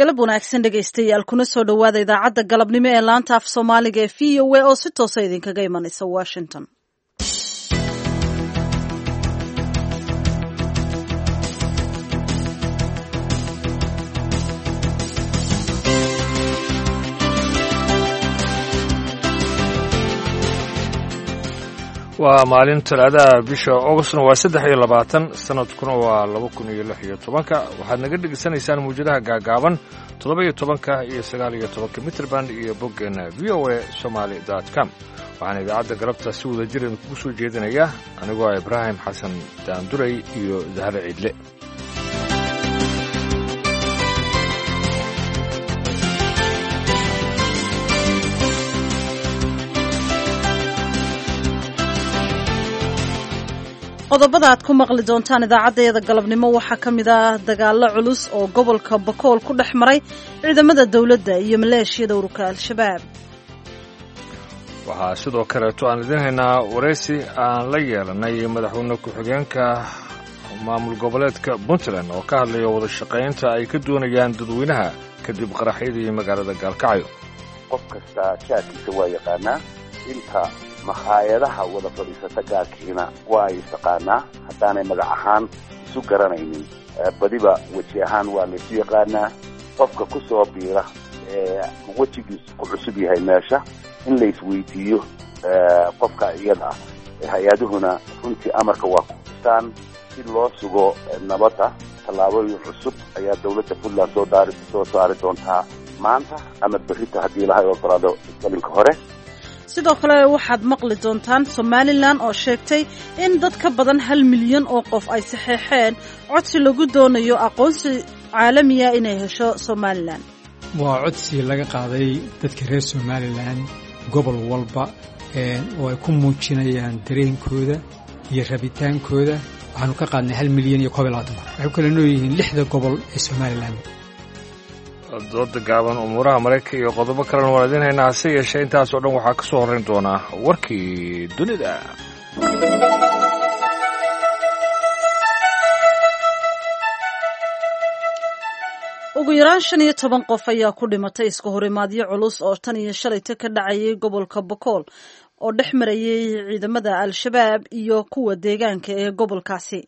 Galab wanaagsan dhegaystayaal, kuna soo dhowaada idaacadda galabnimo ee laanta af Soomaaliga ee VOA oo si toosa idinkaga imanaysa Washington. Waa maalin Talaadaha, bisha Augustna waa 23, sanadkuna waa 2016. Waxaad naga dhegaysanaysaan muwjadaha gaagaaban 17-ka iyo 19-ka mitrband iyo boggeena voasomali com. Waxaana idaacadda galabta si wada jir idinkugu soo jeedinaya anigoo ah Ibraahim Xasan Daanduray iyo Zahre Ciidle. Qodobada aad ku maqli doontaan idaacaddayada galabnimo waxaa ka mid ah dagaallo culus oo gobolka Bakool ku dhex maray ciidamada dowladda iyo maleeshiyada ururka Al-Shabaab. Waxaa sidoo kaleeto aan idiin haynaa waraysi aan la yeelanay madaxweyne ku-xigeenka maamul goboleedka Puntland oo ka hadlaya wada shaqaynta ay ka doonayaan dadweynaha kadib qaraxyadii magaalada Gaalkacyo. Qof kastaa jaadkiisa waa yaqaanaa, inta makhaayadaha wada fadhiisata gaarkiina waa ay istaqaanaa, haddaanay magac ahaan isu garanaynin badiba weji ahaan waa laysu yaqaanaa. Qofka ku soo biira ee wejigiisu ku cusub yahay meesha in la isweydiiyo qofka iyada ah, hay-aduhuna runtii amarka waa ku xustaan si loo sugo nabadda. Tallaabooyin cusub ayaa dowladda Puntland soo saari doontaa maanta ama berrito haddii lahay ogolaado galinka hore. Sidoo kale waxaad maqli doontaan Somalilan oo sheegtay in dad ka badan 1 milyan oo qof ay saxeexeen codsi lagu doonayo aqoonsi caalamiya inay hesho Somalilan. Waa codsi laga qaaday dadka reer Somalilan gobol walba oo ay ku muujinayaan dareenkooda iyo rabitaankooda. Waxaanu ka qaadnay 1,021,000. Waxay ku kala nool yihiin lixda gobol ee Somalilan. Dooda gaaban, umuuraha Maraykanka iyo qodobo kalena waan idiin haynaa, hase yeeshee intaasoo dhan waxaa ka soo horrayn doonaa warkii dunida. Ugu yaraan 15 qof ayaa ku dhimatay iska horimaadyo culus oo tan iyo shalayta ka dhacayay gobolka Bakool oo dhex marayay ciidamada Al-Shabaab iyo kuwa deegaanka ee gobolkaasi.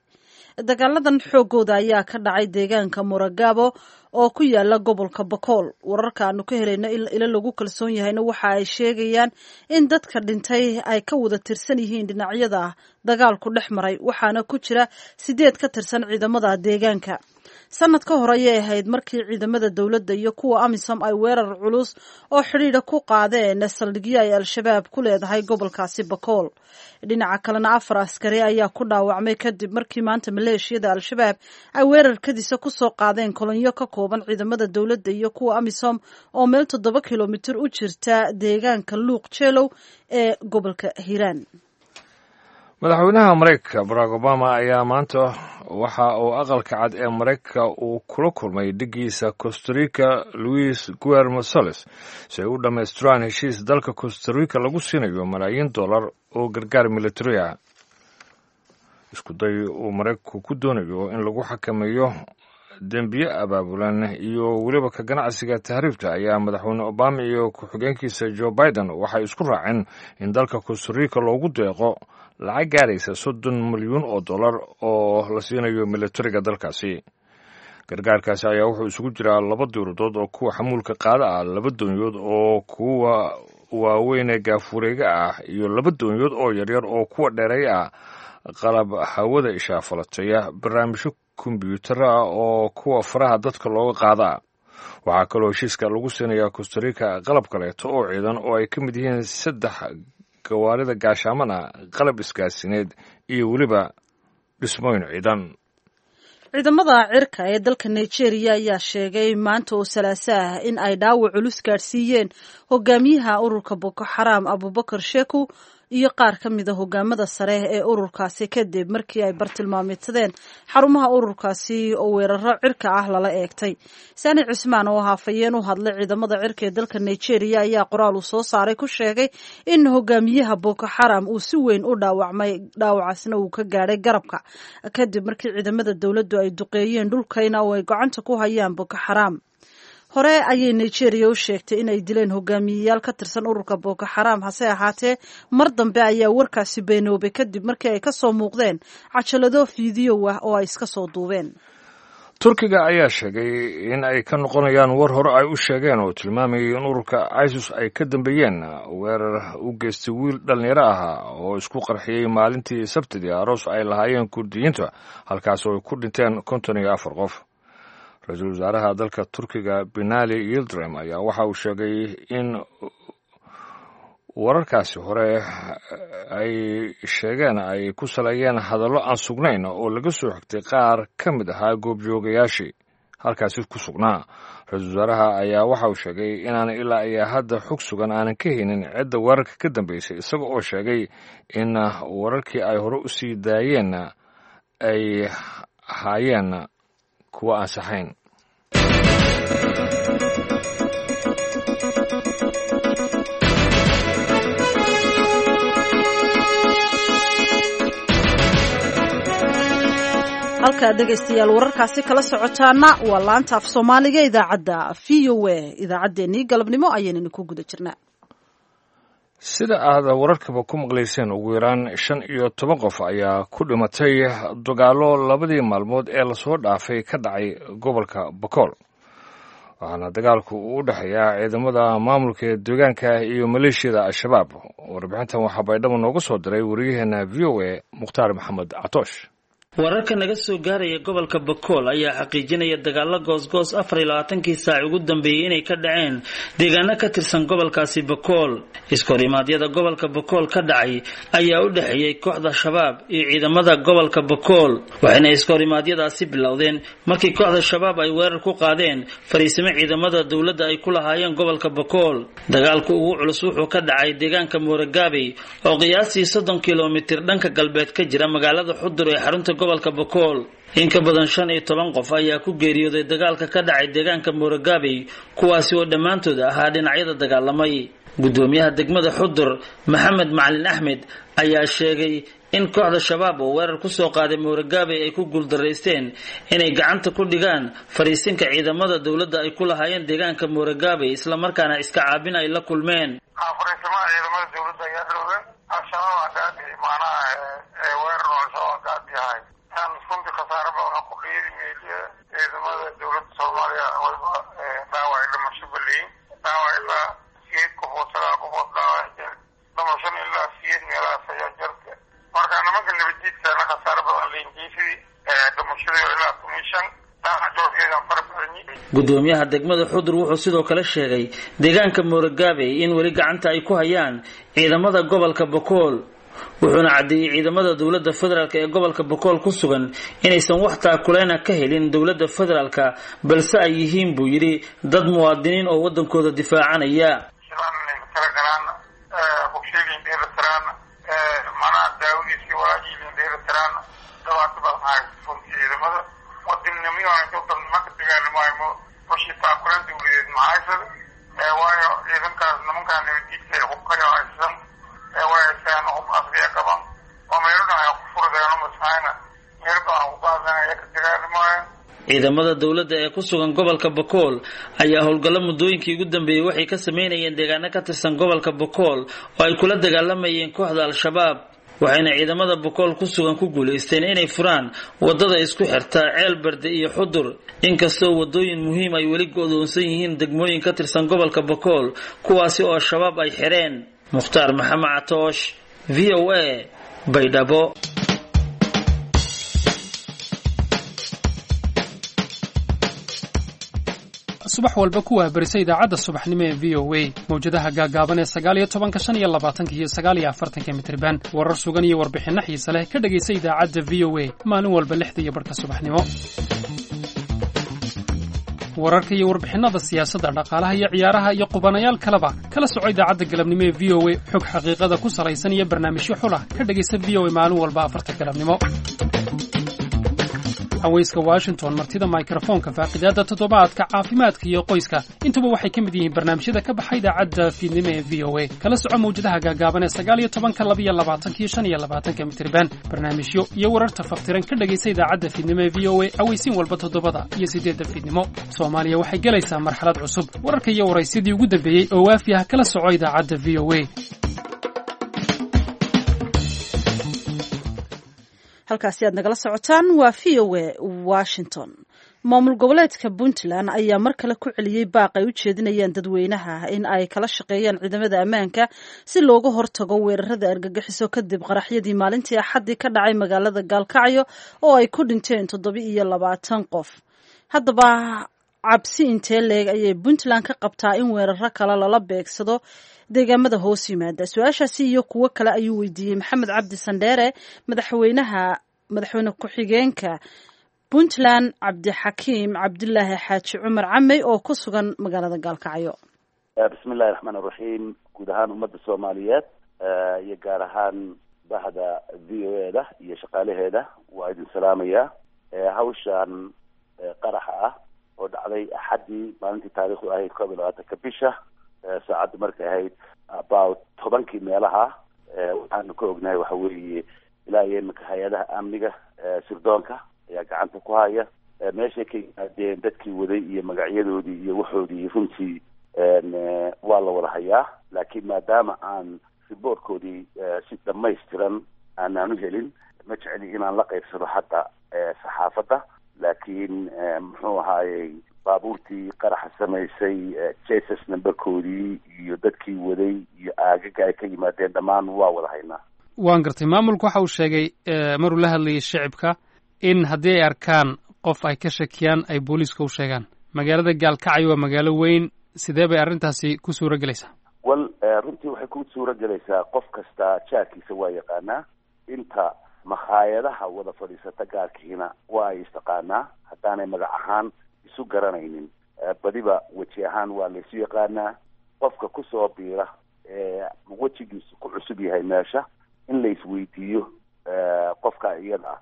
Dagaaladan xoogooda ayaa ka dhacay deegaanka Muragabo oo ku yaala gobolka Bakool. Wararka aanu ka helayno ilo lagu kalsoon yahayna waxa ay sheegayaan in dadka dhintay ay ka wada tirsan yihiin dhinacyada dagaalku dhex maray, waxaana ku jira sideed ka tirsan ciidamada deegaanka. Sanad ka hor ayay ahayd markii ciidamada dowladda iyo kuwa AMISOM ay weerar culus oo xidhiidha ku qaadeen saldhigyo ay Al-Shabaab ku leedahay gobolkaasi Bakool. Dhinaca kalena, afar askari ayaa ku dhaawacmay kadib markii maanta maleeshiyada Al-Shabaab ay weerarkadiisa kusoo qaadeen kolonyo ka kooban ciidamada dowladda iyo kuwa AMISOM oo meel 7 kilomitir u jirta deegaanka Luuq Jeelow ee gobolka Hiiraan. Madaxweynaha Maraykanka Barack Obama ayaa maanta waxa uu Aqalka Cad ee Maraykanka uu kula kulmay dhiggiisa Costa Rica Luis Guillermo Solis si ay u dhammaystiraan heshiis dalka Costa Rica lagu siinayo malaayiin dollar oo gargaar militari ah. Isku day uu Maraykanku ku doonayo in lagu xakameeyo dembiye abaabulan iyo weliba ka ganacsiga tahriibta ayaa madaxweyne Obama iyo ku-xigeenkiisa Joe Biden waxay isku raaceen in dalka Costa Rica loogu deeqo lacag gaaraysa 30 milyuun oo dollar oo la siinayo militariga dalkaasi. Gargaarkaasi ayaa wuxuu isugu jiraa laba diiradood oo kuwa xamuulka qaada ah, laba doonyood oo kuwa waaweyn ee gaafureega ah iyo laba doonyood oo yaryar oo kuwa dheereey ah, qalab hawada ishaafalataya, barnaamijyo kombyuutar ah oo kuwa faraha dadka looga qaadaa. Waxaa kaloo heshiiska lagu siinayaa Costa Rica qalab kaleeto oo ciidan oo ay ka mid yihiin saddex gawaarida gaashaamana, qalab isgaasineed iyo weliba dhismooyin ciidan. Ciidamada cirka ee dalka Nigeria ayaa sheegay maanta oo Salaaso ah in ay dhaawac culus gaadhsiiyeen hogaamiyaha ururka Boko Xaram Abubakar Sheku iyo qaar ka mida hogaamada sare ee ururkaasi, kadib markii ay bartilmaameedsadeen xarumaha ururkaasi oo weeraro cirka ah lala eegtay. Sani Cismaan oo hafayeen u hadlay ciidamada cirka ee dalka Nigeria ayaa qoraal uu soo saaray ku sheegay in hogaamiyaha Boko Xaram uu si weyn u dhaawacmay, dhaawacaasna uu ka gaadhay garabka, kadib markii ciidamada dowladdu ay duqeeyeen dhulkayna oo ay gacanta ku hayaan Boko Xaram. Hore ayay Nigeria u sheegtay inay dileen hogaamiyeyaal ka tirsan ururka Boko Xaraam, hase ahaatee mar dambe ayaa warkaasi beenoobay kadib markii ay ka soo muuqdeen cajalado fiidiyow ah oo ay iska soo duubeen. Turkiga ayaa sheegay in ay ka noqonayaan war hore ay u sheegeen oo tilmaamayay in ururka ISIS ay ka dambeeyeen weerar u geystay wiil dhallinyaro ahaa oo isku qarxiyey maalintii Sabtidii aroos ay lahaayeen Kurdiyiinta, halkaas oo ay ku dhinteen 54 qof. Ra-iisul wasaaraha dalka Turkiga Binali Yildirim ayaa waxa uu sheegay in wararkaasi hore ay sheegeen ay ku saleeyeen hadallo aan sugnayn oo laga soo xigtay qaar ka mid ahaa goobjoogayaashii halkaasi ku sugnaa. Ra-iisul wasaaraha ayaa waxa uu sheegay inaan ilaa iyo hadda xog sugan aanan ka haynin cidda weerarka ka dambeysay, isaga oo sheegay in wararkii ay hore u sii daayeen ay ahaayeen kuwa aan saxayn. Halkaa dhegaystayaal wararkaasi kala socotaana waa laanta af Soomaaliga idaacadda VOA. Idaacaddeenii galabnimo ayaynanu ku guda jirnaa. Sida aad wararkaba ku maqlayseen, ugu yaraan 15 qof ayaa ku dhimatay dagaallo labadii maalmood ee lasoo dhaafay ka dhacay gobolka Bakool, waxaana dagaalku uu u dhexeeyaa ciidamada maamulka ee deegaanka iyo maleeshiyada Al-Shabaab. Warbixintan waxaa Baydhabo nooga soo diray wariyaheena VOA Mukhtaar Maxamed Catoosh. Wararka naga soo gaaraya gobolka Bakool ayaa xaqiijinaya dagaalo goosgoos 24kii saac ugu dambeeyey inay ka dhaceen deegaano ka tirsan gobolkaasi Bakool. Iskorimaadyada gobolka Bakool ka dhacay ayaa u dhexeeyey kooxda Shabaab iyo ciidamada gobolka Bakool, waxayna iskorimaadyadaasi bilowdeen markii kooxda Shabaab ay weerar ku qaadeen fariisimo ciidamada dowladda ay ku lahaayeen gobolka Bakool. Dagaalku ugu culus wuxuu ka dhacay deegaanka Mooragaabey oo qiyaastii 30 kilomitir dhanka galbeed ka jira magaalada Xudur ee xarunta gobolka Bakool. In ka badan 15 qof ayaa ku geeriyooday dagaalka ka dhacay deegaanka Mooragaabey, kuwaasi oo dhammaantood ahaa dhinacyada dagaalamay. Gudoomiyaha degmada Xudur Maxamed Macalin Axmed ayaa sheegay in kooxda Shabaab oo weerar kusoo qaaday Mooragaabey ay ku guuldaraysteen inay gacanta ku dhigaan fariisinka ciidamada dowladda ay ku lahaayeen deegaanka Mooragaabey, islamarkaana iska caabin ay la kulmeen. Runtii khasaare badan ku qiiri meeliya ciidamada dowladda Soomaaliya waliba dhaawac dhimasho baleyin, dhaawac ilaa 8 qofood, 9 qofood dhaawac, dhimashona ilaa 8 meelahaas ayaa jirta. Marka nimanka nabaddiidkana khasaare badan leyin, dhimashadii ilaa 15. Gudoomiyaha degmada Xudur wuxuu sidoo kale sheegay deegaanka Mooragaabey in weli gacanta ay ku hayaan ciidamada gobolka Bakool, wuxuuna caddeeyey ciidamada dowladda federaalk ee gobolka Bakool ku sugan inaysan wax taakuleyna ka helin dowladda federaalka, balse ay yihiin buu yidhi dad muwaadiniin oo waddankooda difaacanaya. Waayo ciidankaas nimankaa nabadiidka hubkayo haysan waysaan hub asriya qaban oo meelo dhan ay ku furdeeno masahayna meel badan ku qaadanaya ka dagaalamaayeen. Ciidamada dowladda ee ku sugan gobolka Bakool ayaa howlgallo muddooyinkii ugu dambeeyey waxay ka sameynayeen deegaano ka tirsan gobolka Bakool oo ay kula dagaalamayeen kooxda Al-Shabaab, waxayna ciidamada Bakool ku sugan ku guulaysteen inay furaan wadada isku xirta Ceelberde iyo Xudur, inkastoo wadooyin muhiim ay weli go'doonsan yihiin degmooyin ka tirsan gobolka Bakool, kuwaasi oo Al-Shabaab ay xireen. Mukhtaar Maxamed Catoosh, VOA, Baydhabo. Subax walba ku waabarisa idaacadda subaxnimo ee VOA mawjadaha gaagaaban ee 19-ka, 25-ka iyo 49-ka mitirban. Warar sugan iyo warbixinno xiise leh ka dhegaysa idaacadda VOA maalin walba 6:30 subaxnimo. Wararka iyo warbixinnada siyaasadda, dhaqaalaha iyo ciyaaraha iyo qubanayaal kaleba kala soco idaacadda galabnimo ee VOA. Xog xaqiiqada ku salaysan iyo barnaamijyo xulah ka dhegaysa VOA maalin walba 4-ta galabnimo. Cawayska Washington, Martida Mikrofoonka, Faaqidaada Toddobaadka, Caafimaadka iyo Qoyska, intuba waxay ka mid yihiin barnaamijyada ka baxa idaacadda fiidnimo ee VOA. Kala soco mawjadaha gaagaaban ee 19-ka, 22-ka iyo 25-ka mitirban. Barnaamijyo iyo wararta faftiran ka dhegaysa idaacadda fiidnimo ee VOA awaysiin walba 7-da iyo 8-da fiidnimo. Soomaaliya waxay gelaysaa marxalad cusub. Wararka iyo waraysyadii ugu dambeeyey oo waafi ah kala soco idaacadda VOA. Halkaasi aad nagala socotaan waa VOA Washington. Maamul goboleedka Puntland ayaa mar kale ku celiyey baaq ay u jeedinayaan dadweynaha in ay kala shaqeeyaan ciidamada ammaanka si looga hortago weerarada argagixiso, kadib qaraxyadii maalintii Axaddii ka dhacay magaalada Gaalkacyo oo ay ku dhinteen 27 qof. Haddaba, cabsi intee leeg ayay Puntland ka qabtaa in weeraro kale lala beegsado deegaamada hoos yimaada? Su-aashaasi iyo kuwo kale ayuu weydiiyey Maxamed Cabdi Sandheere madaxweynaha madaxweyne ku-xigeenka Puntland, Cabdixakiim Cabdilaahi Xaaji Cumar Camey, oo ku sugan magaalada Gaalkacyo. Bismi illahi raxmaan iraxiim. Guud ahaan ummadda Soomaaliyeed iyo gaar ahaan bahda VOA da iyo shaqaalaheeda waa idin salaamayaa. Hawshan qaraxa ah oo dhacday Axaddii, maalintii taariikhdu ahayd 21-ka bisha, saacadda markay ahayd about 10-kii meelaha, waxaanu ka ognahay waxa weeye ilaa iyo iminka hay-adaha amniga sirdoonka ayaa gacanta ku haya. Meeshay ka yimaadeen, dadkii waday iyo magacyadoodii iyo waxoodii runtii waa la wada hayaa, laakiin maadaama aan riboortkoodii si dhamaystiran aanaan u helin, ma jecli inaan la qaybsado hadda saxaafadda. Laakiin muxuu ahaayey, baabuurtii qaraxa samaysay, chassis numberkoodii iyo dadkii waday iyo aagaga ay ka yimaadeen, dhammaan waa wada haynaa. Waan gartay. Maamulku waxa uu sheegay maruu la hadlayay shicibka in haddii ay arkaan qof ay ka shakiyaan ay booliiska u sheegaan. Magaalada Gaalkacyo waa magaalo weyn, sidee bay arrintaasi ku suura gelaysaa? Well, runtii waxay ku suura gelaysaa, qof kasta jaarkiisa waa yaqaanaa. Inta makhaayadaha wada fadhiisata gaarkiina waa ay istaqaanaa. Haddaanay magac ahaan isu garanaynin, badiba weji ahaan waa laysu yaqaanaa. Qofka kusoo biira ee wejigiisu ku cusub yahay meesha, in la isweydiiyo qofka iyada ah,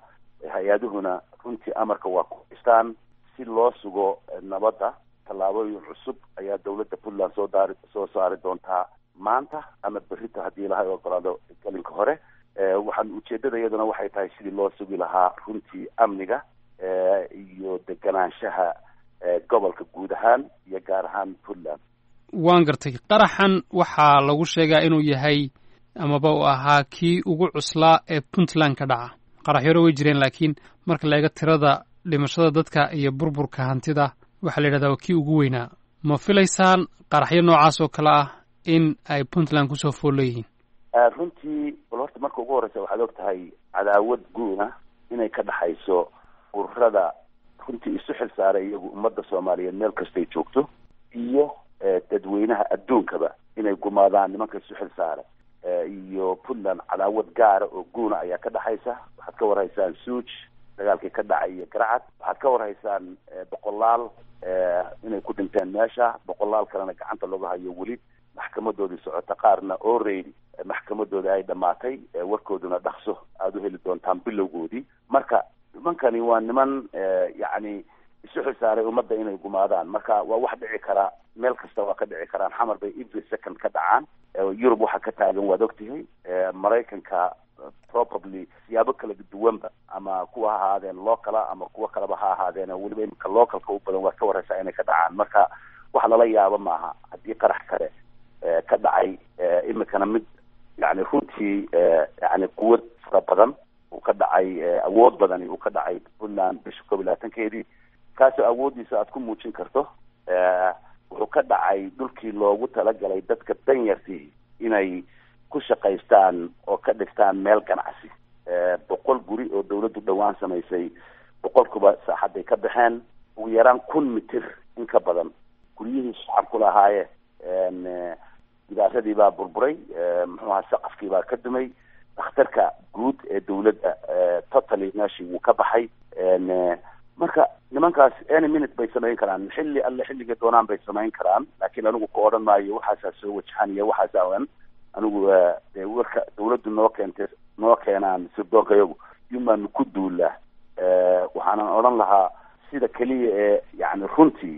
hay-aduhuna runtii amarka waa ku haystaan si loo sugo nabadda. Tallaabooyin cusub ayaa dawladda Puntland soo daari soo saari doontaa maanta ama berrito, haddii Ilahay ogolaado, galinka hore. Waxaan ujeedada iyaduna waxay tahay sidii loo sugi lahaa runtii amniga iyo deganaanshaha gobolka guud ahaan iyo gaar ahaan Puntland. Waan gartay. Qaraxan waxaa lagu sheegaa inuu yahay amaba uu ahaa kii ugu cuslaa ee Puntland ka dhaca. Qaraxyaro way jireen, laakiin marka la eego tirada dhimashada dadka iyo burburka hantida, waxaa la yidhahdaa waa kii ugu weynaa. Ma filaysaan qaraxyo noocaas oo kale ah in ay Puntland kusoo fool leeyihiin? Runtii, bal horta marka ugu horeysa, waxaad og tahay cadaawad guuna inay ka dhexayso ururada runtii isu xil saaray iyagu ummadda Soomaaliyeed meel kastay joogto iyo dadweynaha adduunkaba inay gumaadaan. Nimanka isu xil saaray iyo Puntland cadaawad gaara oo guuna ayaa ka dhexaysa. Waxaad ka warhaysaan Suuj dagaalkii ka dhacay iyo Garacad. Waxaad ka warhaysaan boqolaal inay ku dhinteen meesha, boqolaal kalena gacanta looga hayo, weli maxkamadoodii socota, qaarna already maxkamadooda ay dhammaatay, warkooduna dhaqso aada u heli doontaan bilowgoodii. Marka nimankani waa niman yacni isu xilsaaray ummadda inay gumaadaan. Marka waa wax dhici karaa, meel kasta waa ka dhici karaan. Xamar bay every second ka dhacaan. Yurub waxaa ka taagan waad ogtihay. Maraykanka probably siyaabo kala duwanba, ama kuwa ha ahaadeen local ama kuwo kaleba ha ahaadeen, weliba imika localka u badan, waad ka wareysaa inay ka dhacaan. Marka wax lala yaabo maaha haddii qarax kale ka dhacay imikana, mid yani runtii yani quwad fara badan uu ka dhacay, awood badani uu ka dhacay Puntland bisha 21-keedii, kaasoo awooddiisa aad ku muujin karto. Wuxuu ka dhacay dhulkii loogu talagalay dadka danyartii inay ku shaqaystaan oo ka dhigtaan meel ganacsi. 100 guri oo dawladdu dhowaan samaysay, 100-kuba saaxadday ka baxeen. Ugu yaraan 1000 mitir in ka badan guryihii shacabku lahaayeen gidaaradii baa burburay, muxuu ahaa, saqafkii baa ka dumay. Dhakhtarka guud ee dawladda totally meeshii wuu ka baxay. Marka nimankaas any minute bay samayn karaan, xilli alle xilliga doonaan bay samayn karaan. Laakiin anigu ku odhan maayo waxaasaa soo wajahan iyo waxaasaa ohan. Anigu dee warka dawladdu noo keentay, noo keenaan sirdoonka iyagu yumaanu ku duulaa. Waxaana Waxaanan odhan lahaa sida keliya ee yacni runtii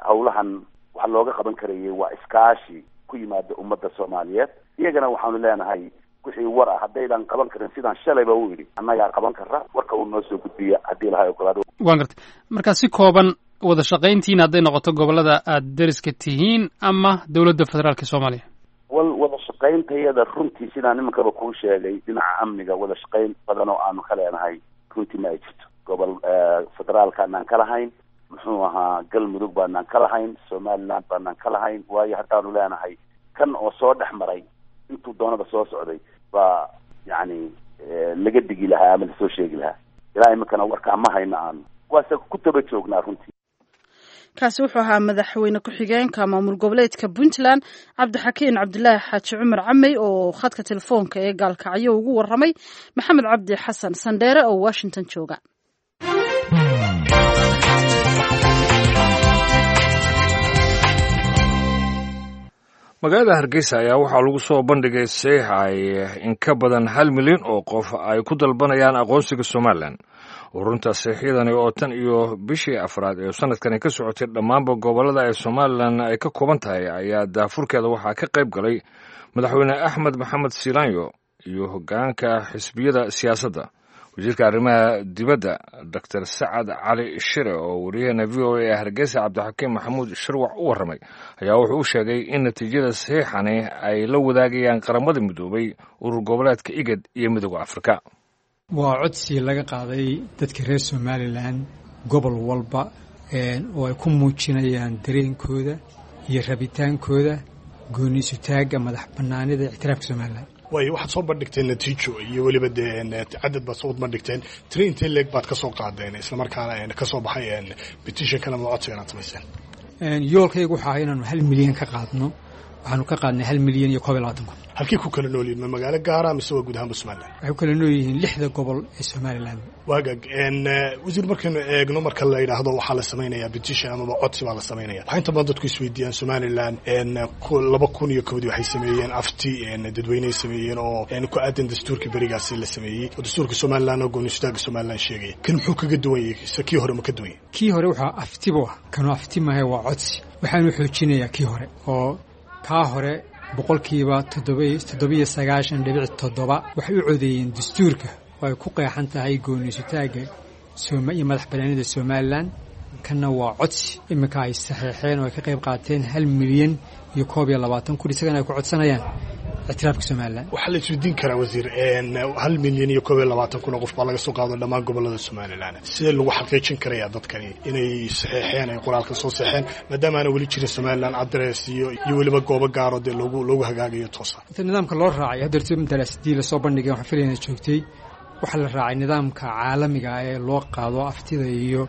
howlahan waxa looga qaban karayay waa iskaashi ku yimaada ummadda Soomaaliyeed. Iyagana waxaanu leenahay wixii war ah haddaydan qaban karin sidaan shalayba u yidhi, annagaa qaban kara, warka uu noo soo gudbiya haddii lahay ogolaado. Waan gartay. Marka si kooban, wada shaqayntiina hadday noqoto gobollada aada deriska tihiin ama dowladda federaalka Soomaaliya? Wal wada shaqayntayada runtii sidaan nimankaba kuu sheegay, dhinaca amniga wada shaqayn badan oo aanu ka leenahay runtii ma ay jirto. Gobol federaalka anaan ka lahayn, muxuu ahaa, Galmudug baanaan ka lahayn, Somaliland baanaan ka lahayn, waayo haddaanu leenahay kan oo soo dhex maray intuu doonaba soo socday baa yacni laga digi lahaa ama lasoo sheegi lahaa. Ilaa iminkana warkaa ma hayno, aanu waase ku taba joognaa runtii. Kaasi wuxuu ahaa madaxweyne ku-xigeenka maamul goboleedka Puntland, Cabdixakiin Cabdilaahi Xaaji Cumar Camey, oo khadka telefoonka ee Gaalkacyo ugu waramay Maxamed Cabdi Xasan Sandheere oo Washington jooga. Magaalada Hargeysa ayaa waxaa lagu soo bandhigay saxiix ay in ka badan 1 milyan oo qof ay ku dalbanayaan aqoonsiga Somalilan. Urunta saxiixyadani oo tan iyo bishii afraad ee sanadkani ka socotay dhammaanba gobollada ay Somalilan ay ka kooban tahay ayaa daafurkeeda waxaa ka qayb galay Madaxweyne Axmed Maxamed Silaanyo iyo hoggaanka xisbiyada siyaasadda. Wasiirka arrimaha dibadda, Doctor Sacad Cali Shire, oo wariyaheena VOA ee Hargeysa Cabdixakiim Maxamuud Shirwac u warramay, ayaa wuxuu u sheegay in natiijada saxiixani ay la wadaagayaan Qaramada Midoobay, urur goboleedka IGAD iyo Midooda Afrika. Waa codsi laga qaaday dadka reer Somalilan gobol walba oo ay ku muujinayaan dareenkooda iyo rabitaankooda gooni isutaagga, madax bannaanida, ictiraafka Somalilan. Waayo, waxaad soo bandhigteen natiijo iyo weliba dee cadad baad soo bandhigteen. Tiri intee leeg baad ka soo qaadeen islamarkaana ka soo baxay petitionkan ama codsigan aad samayseen? Yoolkaygu waxaa ahaa inaanu 1 milyan ka qaadno. Waxaanu ka qaadnay 1,021,000. Halkii ku kala nool yihin? Ma magaalo gaara mise waa guud ahaanba Somaliland? Waxay ku kala nool yihiin lixda gobol ee Somaliland. Waagaag wasiir, markaynu eegno, marka la yidhaahdo waxaa la samaynayaa petition amaba codsi baa la samaynaya, waxaa inta badan dadku isweydiiyaan Somaliland 2001-dii waxay sameeyeen afti dadweyney sameeyeen oo ku aadan dastuurkii berigaasi la sameeyey, oo dastuurka Somaliland oo gooni-istaaga Somaliland sheegaya. Kan muxuu kaga duwan yahay? Se kii hore ma ka duwan yahay? Kii hore waxaa aftibu ah, kanu afti mahay, waa codsi. Waxaanu xoojinayaa kii hore, oo kaa hore 97.7% waxay u codeeyeen dastuurka oo ay ku qeexan tahay gooniisutaagga iyo madax bannaanida Somalilan. Kanna waa codsi iminka ay saxeexeen oo ay ka qayb qaateen 1,021,000, isagana ay ku codsanayaan ictiraafka Somalilan. Waxaa la isweydiin karaa, wasiir, 1,021,000 oo qof baa laga soo qaado dhammaan gobollada Somalilan. Sidee lagu xaqiijin karayaa dadkani inay saxeexeen, ay qoraalka soo saxeen, maadaama aana weli jirin Somalilan address iyo weliba goobo gaaro dee loogu hagaagayo toosa? Inta nidaamka loo raacay haddeerto daraasadii lasoo bandhigay, waxaan filaya inaad joogtay, waxaa la raacay nidaamka caalamiga ah ee loo qaado aftida iyo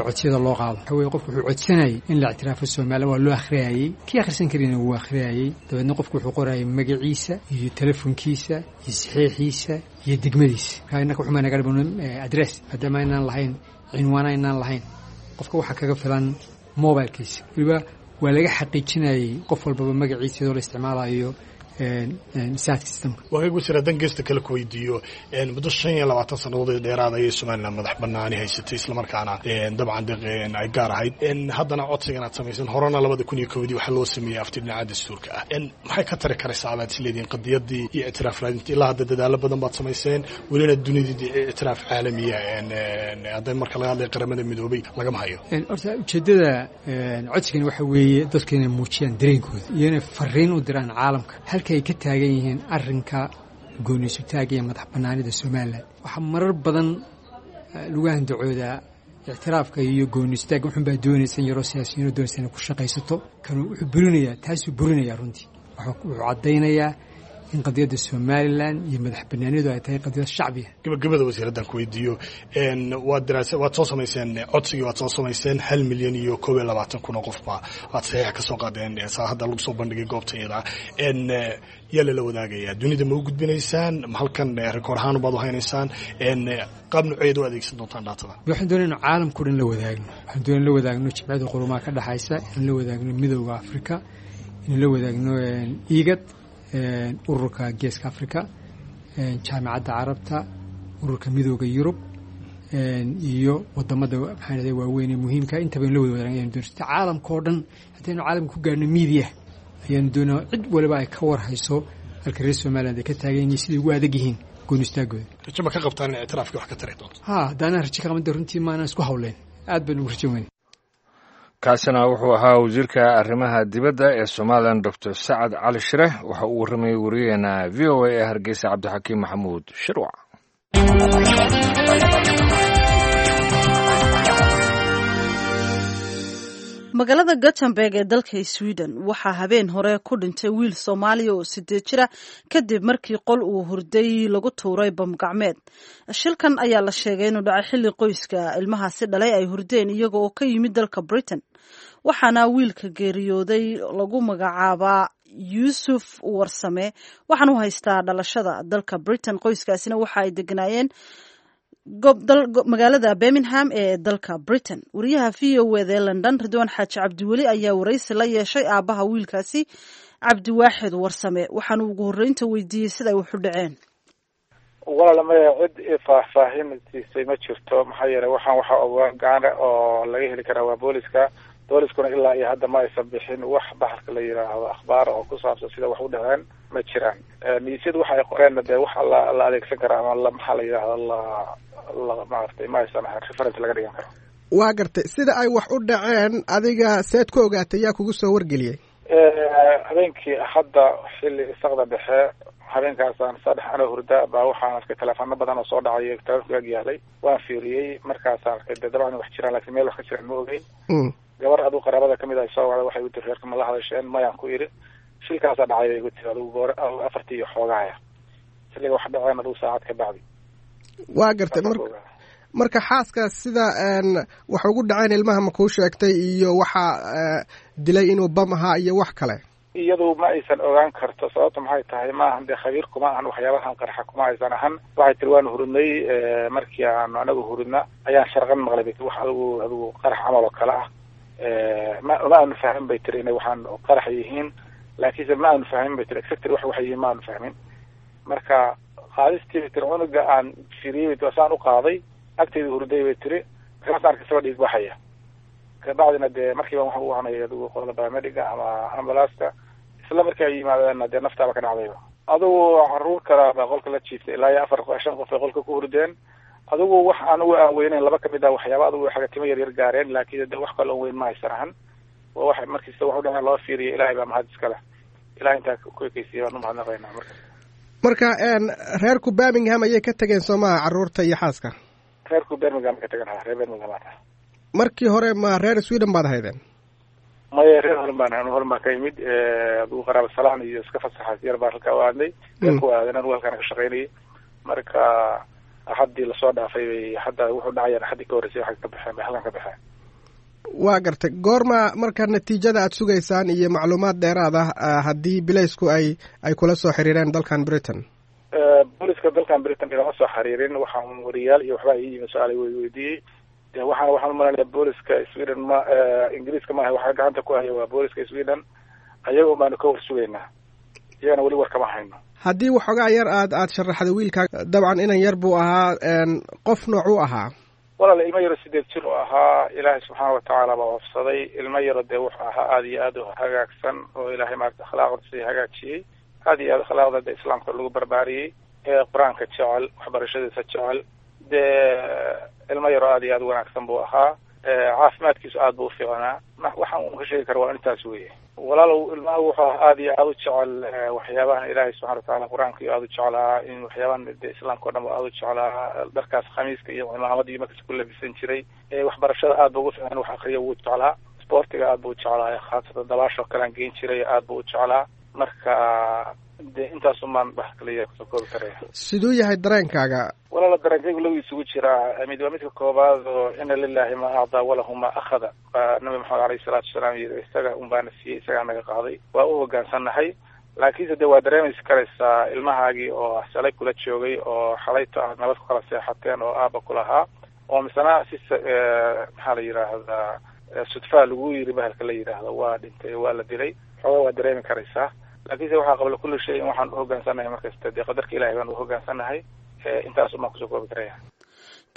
codsiyada loo qaado. Waxa weye, qofku wuxuu codsanayay in la ictiraafo Somalilan. Waa loo akhriyayey, kii akhrisan karina wuu akhriyayey. Dabeedna qofku wuxuu qorayay magaciisa iyo telefonkiisa iyo saxiixiisa iyo degmadiisa. Marka innaka wuxuu naga dhiman address, maadaama aynaan lahayn cinwaana aynaan lahayn. Qofka waxaa kaga filan mobilkiisa. Weliba waa laga xaqiijinayay qof walbaba magaciisa iyadoo la isticmaalayo saadka systemka. Waagaag wasiir, haddaan geesta kale ku weydiiyo, muddo 25 sannadood ee dheeraad ayay Somaliland madax banaani haysatay, islamarkaana dabcan deeq ay gaar ahayd. Haddana codsigan aad samaysan, horena 2001-dii waxaa loo sameeyey afti dhinaca dastuurka ah. Maxay ka tari karaysaa abaad isleedihiin qadiyadii iyo ictiraaf raadinta? Ilaa hadda dadaalo badan baad samayseen, welina dunidii ictiraaf caalamiya, hadda marka laga hadlaya Qaramada Midoobay, lagama hayo. Horta ujeeddada codsigani waxa weeye dadka inay muujiyaan dareenkooda iyo inay fariin u diraan caalamka halka ay ka taagan yihiin arrinka gooniisutaaga iyo madax bannaanida Somalilan. Waxaa marar badan lagu handacoodaa ictiraafka iyo gooniisutaagga wuxun baa doonaysa in yaroo siyaasiyiinoo doonaysa inay ku shaqaysato. Kanu wuxuu burinayaa, taasuu burinayaa runtii. Wuxuu caddaynayaa in qadiyadda Somalilan iyo madax bannaanidu ay tahay qadiyad shacbiya. Gabagabada wasiir, haddaan ku weydiiyo, waad daraasa waad soo samayseen codsigii, waad soo samayseen, 1,021,000 oo qofba aad saxiixa ka soo qaadeen, saa hadda lagu soo bandhigay goobta iyada. Yaa lala wadaagayaa? Dunida ma u gudbinaysaan? Ma halkan rikoor ahaan baad u haynaysaan? Qaab nooceed u adeegsan doontaan dhaatada? Waxaan doonay inu caalamkao dhan la wadaagno. Waxaan doonay la wadaagno Jimciyada Qurumaha ka dhexaysa, inaan la wadaagno Midowda Afrika, inaan la wadaagno IGAD, ururka Geeska Africa, Jaamicadda Carabta, ururka Midooda Yurub. iyo wadamada maxaa waaweyn ee muhiimka intaba in la wada wadaagna ayanu doonay caalamka oo dhan haddaynu caalamka ku gaarno media ayaanu doonaa cid waliba ay ka war hayso halka reer Somaliland ay ka taagan yihiin siday ugu adag yihiin gooni istaagooda. Rajo ma ka qabtaan in ictiraafkii wax ka tari doonto? Ha, haddaanaan rajo ka qaban runtii maanaan isku hawleen, aad baan ugu rajo weyn. Kaasina wuxuu ahaa wasiirka arrimaha dibadda ee Somalilan Doctor Sacad Cali Shire. Waxa uu warramayay wariyaheena VOA ee Hargeysa Cabdixakiim Maxamuud Shirwac. Magaalada Gothenburg ee dalka Sweden waxaa habeen hore ku dhintay wiil Soomaaliya oo 8 jira kadib markii qol uu hurday lagu tuuray bam gacmeed. Shilkan ayaa la sheegay inuu dhacay xilli qoyska ilmahaasi dhalay ay hurdeen iyaga oo ka yimid dalka Britain. Waxaana wiilka geeriyooday lagu magacaabaa Yuusuf Warsame, waxaana u haystaa dhalashada dalka Britain. Qoyskaasina waxa ay deganaayeen magaalada Birmingham ee dalka Britain. Wariyaha VOA ee London Ridwaan Xaaji Cabdiweli ayaa waraysi la yeeshay aabbaha wiilkaasi Cabdiwaaxid Warsame, waxaana ugu horreynta weydiiyey sida ay wax u dhaceen. Walaal maya, cid faahfaahin siisay ma jirto, maxaa yeelay waxaan waxa ogaa gaana oo laga heli karaa waa booliska. Booliskuna ilaa iyo hadda ma aysan bixin wax baxalka la yidhaahdo akhbaar oo ku saabsan sida wax u dhaceen ma jiraan. Niisyadu waxa ay qoreenna dee wax la adeegsan karaa ama la maxaa la yidhaahdo la maaragtay ma aysan ahayn reference laga dhigan karo. Waa gartay sida ay wax u dhaceen, adiga seed ku ogaatay, yaa kugu soo wargeliyey? Habeenkii hadda xilli isaqda dhexe habeenkaasaan saddex anoo hurda baa waxaan arkay teleefaano badan oo soo dhacay, telefonka ag yaalay, waan fiiriyey, markaasaan arkay dee dabcan wax jiraan, laakiin meel wax ka jiraan ma ogeyn. Gabar aduu qaraabada kamid ah soo wacday, waxay igu tiri reerka ma la hadasheen? Mayaan ku idhi. Shilkaasaa dhacay bay igu tiri adugu goor 4:00 iyo xoogaaya xilliga wax dhaceen adugu saacad ka bacdi. Waa gartay. Marka xaaska sida wax ugu dhaceen ilmaha ma kuu sheegtay iyo waxaa dilay inuu bam ahaa iyo wax kale? Iyadu ma aysan ogaan karto, sababta maxay tahay ma ahan dee khabiir kuma ahan waxyaabahan qarxa kuma aysan ahan. Waxay tiri waanu hurudnay, markii aanu anagu hurudna ayaan sharqan maqlay bay tiri, wax adigu qarax camal oo kale ah. Ma aanu fahmin bay tiri inay waxaan qarax yihiin, laakiinse ma aanu fahmin bay tiri exactly wax waxay yihiin ma aanu fahmin. Marka qaadistii bay tiri cunuga aan firiyey bay tiri saan u qaaday agtayda hurday bay tiri, markaasaan arkay isagoo dhiig baxaya. Kabacdina dee markiiba waxaan u wacanay adigu qolada paramediga ama ambulance-ka, isla markii ay yimaadeenna dee naftaaba ka dhacdayba. Adigu caruur kala baa qolka la jiiftay, ilaa iyo 4 5 qof ay qolka ku hurdeen. Adigu wax anigu aan weyneyn laba kamid ah waxyaaba adigu xagatimo yar yar gaareen, laakiin de wax kale oon weyn ma haysan ahan. Waa wax markiista wax u dhaceen loo fiiriyo, Ilaahay baa mahad iska leh, Ilahay intaa ku ekeysiiyey baan u mahadnaqaynaa. Marka reerku Birmingham ayay ka tageen soo maha, caruurta iyo xaaska? Reerku Birmingham ka tagan, ha, reer Birmingham aa. Markii hore ma reer Sweden baad ahaydeen? Maya, reer holan baan ahay, holan baan ka imid. Adigu qaraaba salaan iyo iska fasaxaas yar baan halkaa u aadnay, reerku aadan anigu halkaan ka shaqaynayay. Marka axaddii lasoo dhaafay bay hadda wuxuu dhacayaan axaddii ka horreysay waxay ka baxeen bay halkan ka baxeen. Waa gartay. Goorma marka natiijada aad sugaysaan iyo macluumaad dheeraad ah haddii bilaysku ay kula soo xiriireen dalkan Britain? Booliska dalkan Britain ilama soo xiriirin, waxaan wariyaal iyo waxbaa ii yimid su-aal way weydiiyey. De waxaan umalaynaya booliska Sweden ma Ingiriiska maaha, waxaa gacanta ku haya waa booliska Sweden, ayaga un baanu ka war sugaynaa, iyagana weli war kama hayno. Haddii waxoogaa yar aad sharaxda wiilkaa, dabcan inan yar buu ahaa, qof noocuu ahaa? Walaal ilmo yaro 8 jir oo ahaa, Ilaahay subxaana watacaala baa waafsaday. Ilmo yaro dee wuxuu ahaa aada iyo aada u hagaagsan oo Ilaahay maarata akhlaaqdiisa hagaajiyey, aada iyo aad akhlaaqda dee islaamka lagu barbaariyey, qur-aanka jecel, waxbarashadiisa jecel, dee ilmo yaro aada iyo aada u wanaagsan buu ahaa. Caafimaadkiisu aad buu ufiicnaa. Waxaan un ka sheegi kara waa intaas weeye. Walaalow ilmaha wuxuu ahaa aada iyo aada u jecel waxyaabahan Ilaahay subxana watacaala qur-aanka iyo aada u jeclaa, in waxyaabahan de islaamka o dhan ba aada u jeclaa, dharkaas khamiiska iyo cimaamada iyo markas ku labisan jiray. Waxbarashada aad ba ugu fiicnaan, wax akriya wuu jeclaa, isboortiga aad buu u jeclaa, khaasatan dabaashoo kalean geen jiray aad buu u jeclaa. Marka dee intaasumaan wax kaliya kusoo koobi karaya. Siduu yahay dareenkaaga? Walaala dareenkaygu lagu isugu jiraa. Mid waa midka koobaad oo ina lilahi ma acdaa walahu ma akhada baa Nabi Maxamed alayhi salaatu wasalaam yiri, isaga un baana siiyey, isagaa naga qaaday, waa u hoggaansannahay. Laakiinse dee waa dareemaysi karaysaa ilmahaagii oo shalay kula joogay oo xalayto aad nabad ku kala seexateen oo aaba kulahaa oo misena si maxaa la yidhaahdaa sudfaa lagu yiri bahalka la yidhaahdo waa dhintay waa la dilay, xoogaa waa dareemi karaysaa. Laakiinse waxaa qabla kulli shay in waxaan u hoggaansannahay markasta dee qadarka Ilahay baan u hoggaansannahay. Intaas umaan kusoo koobi karaya.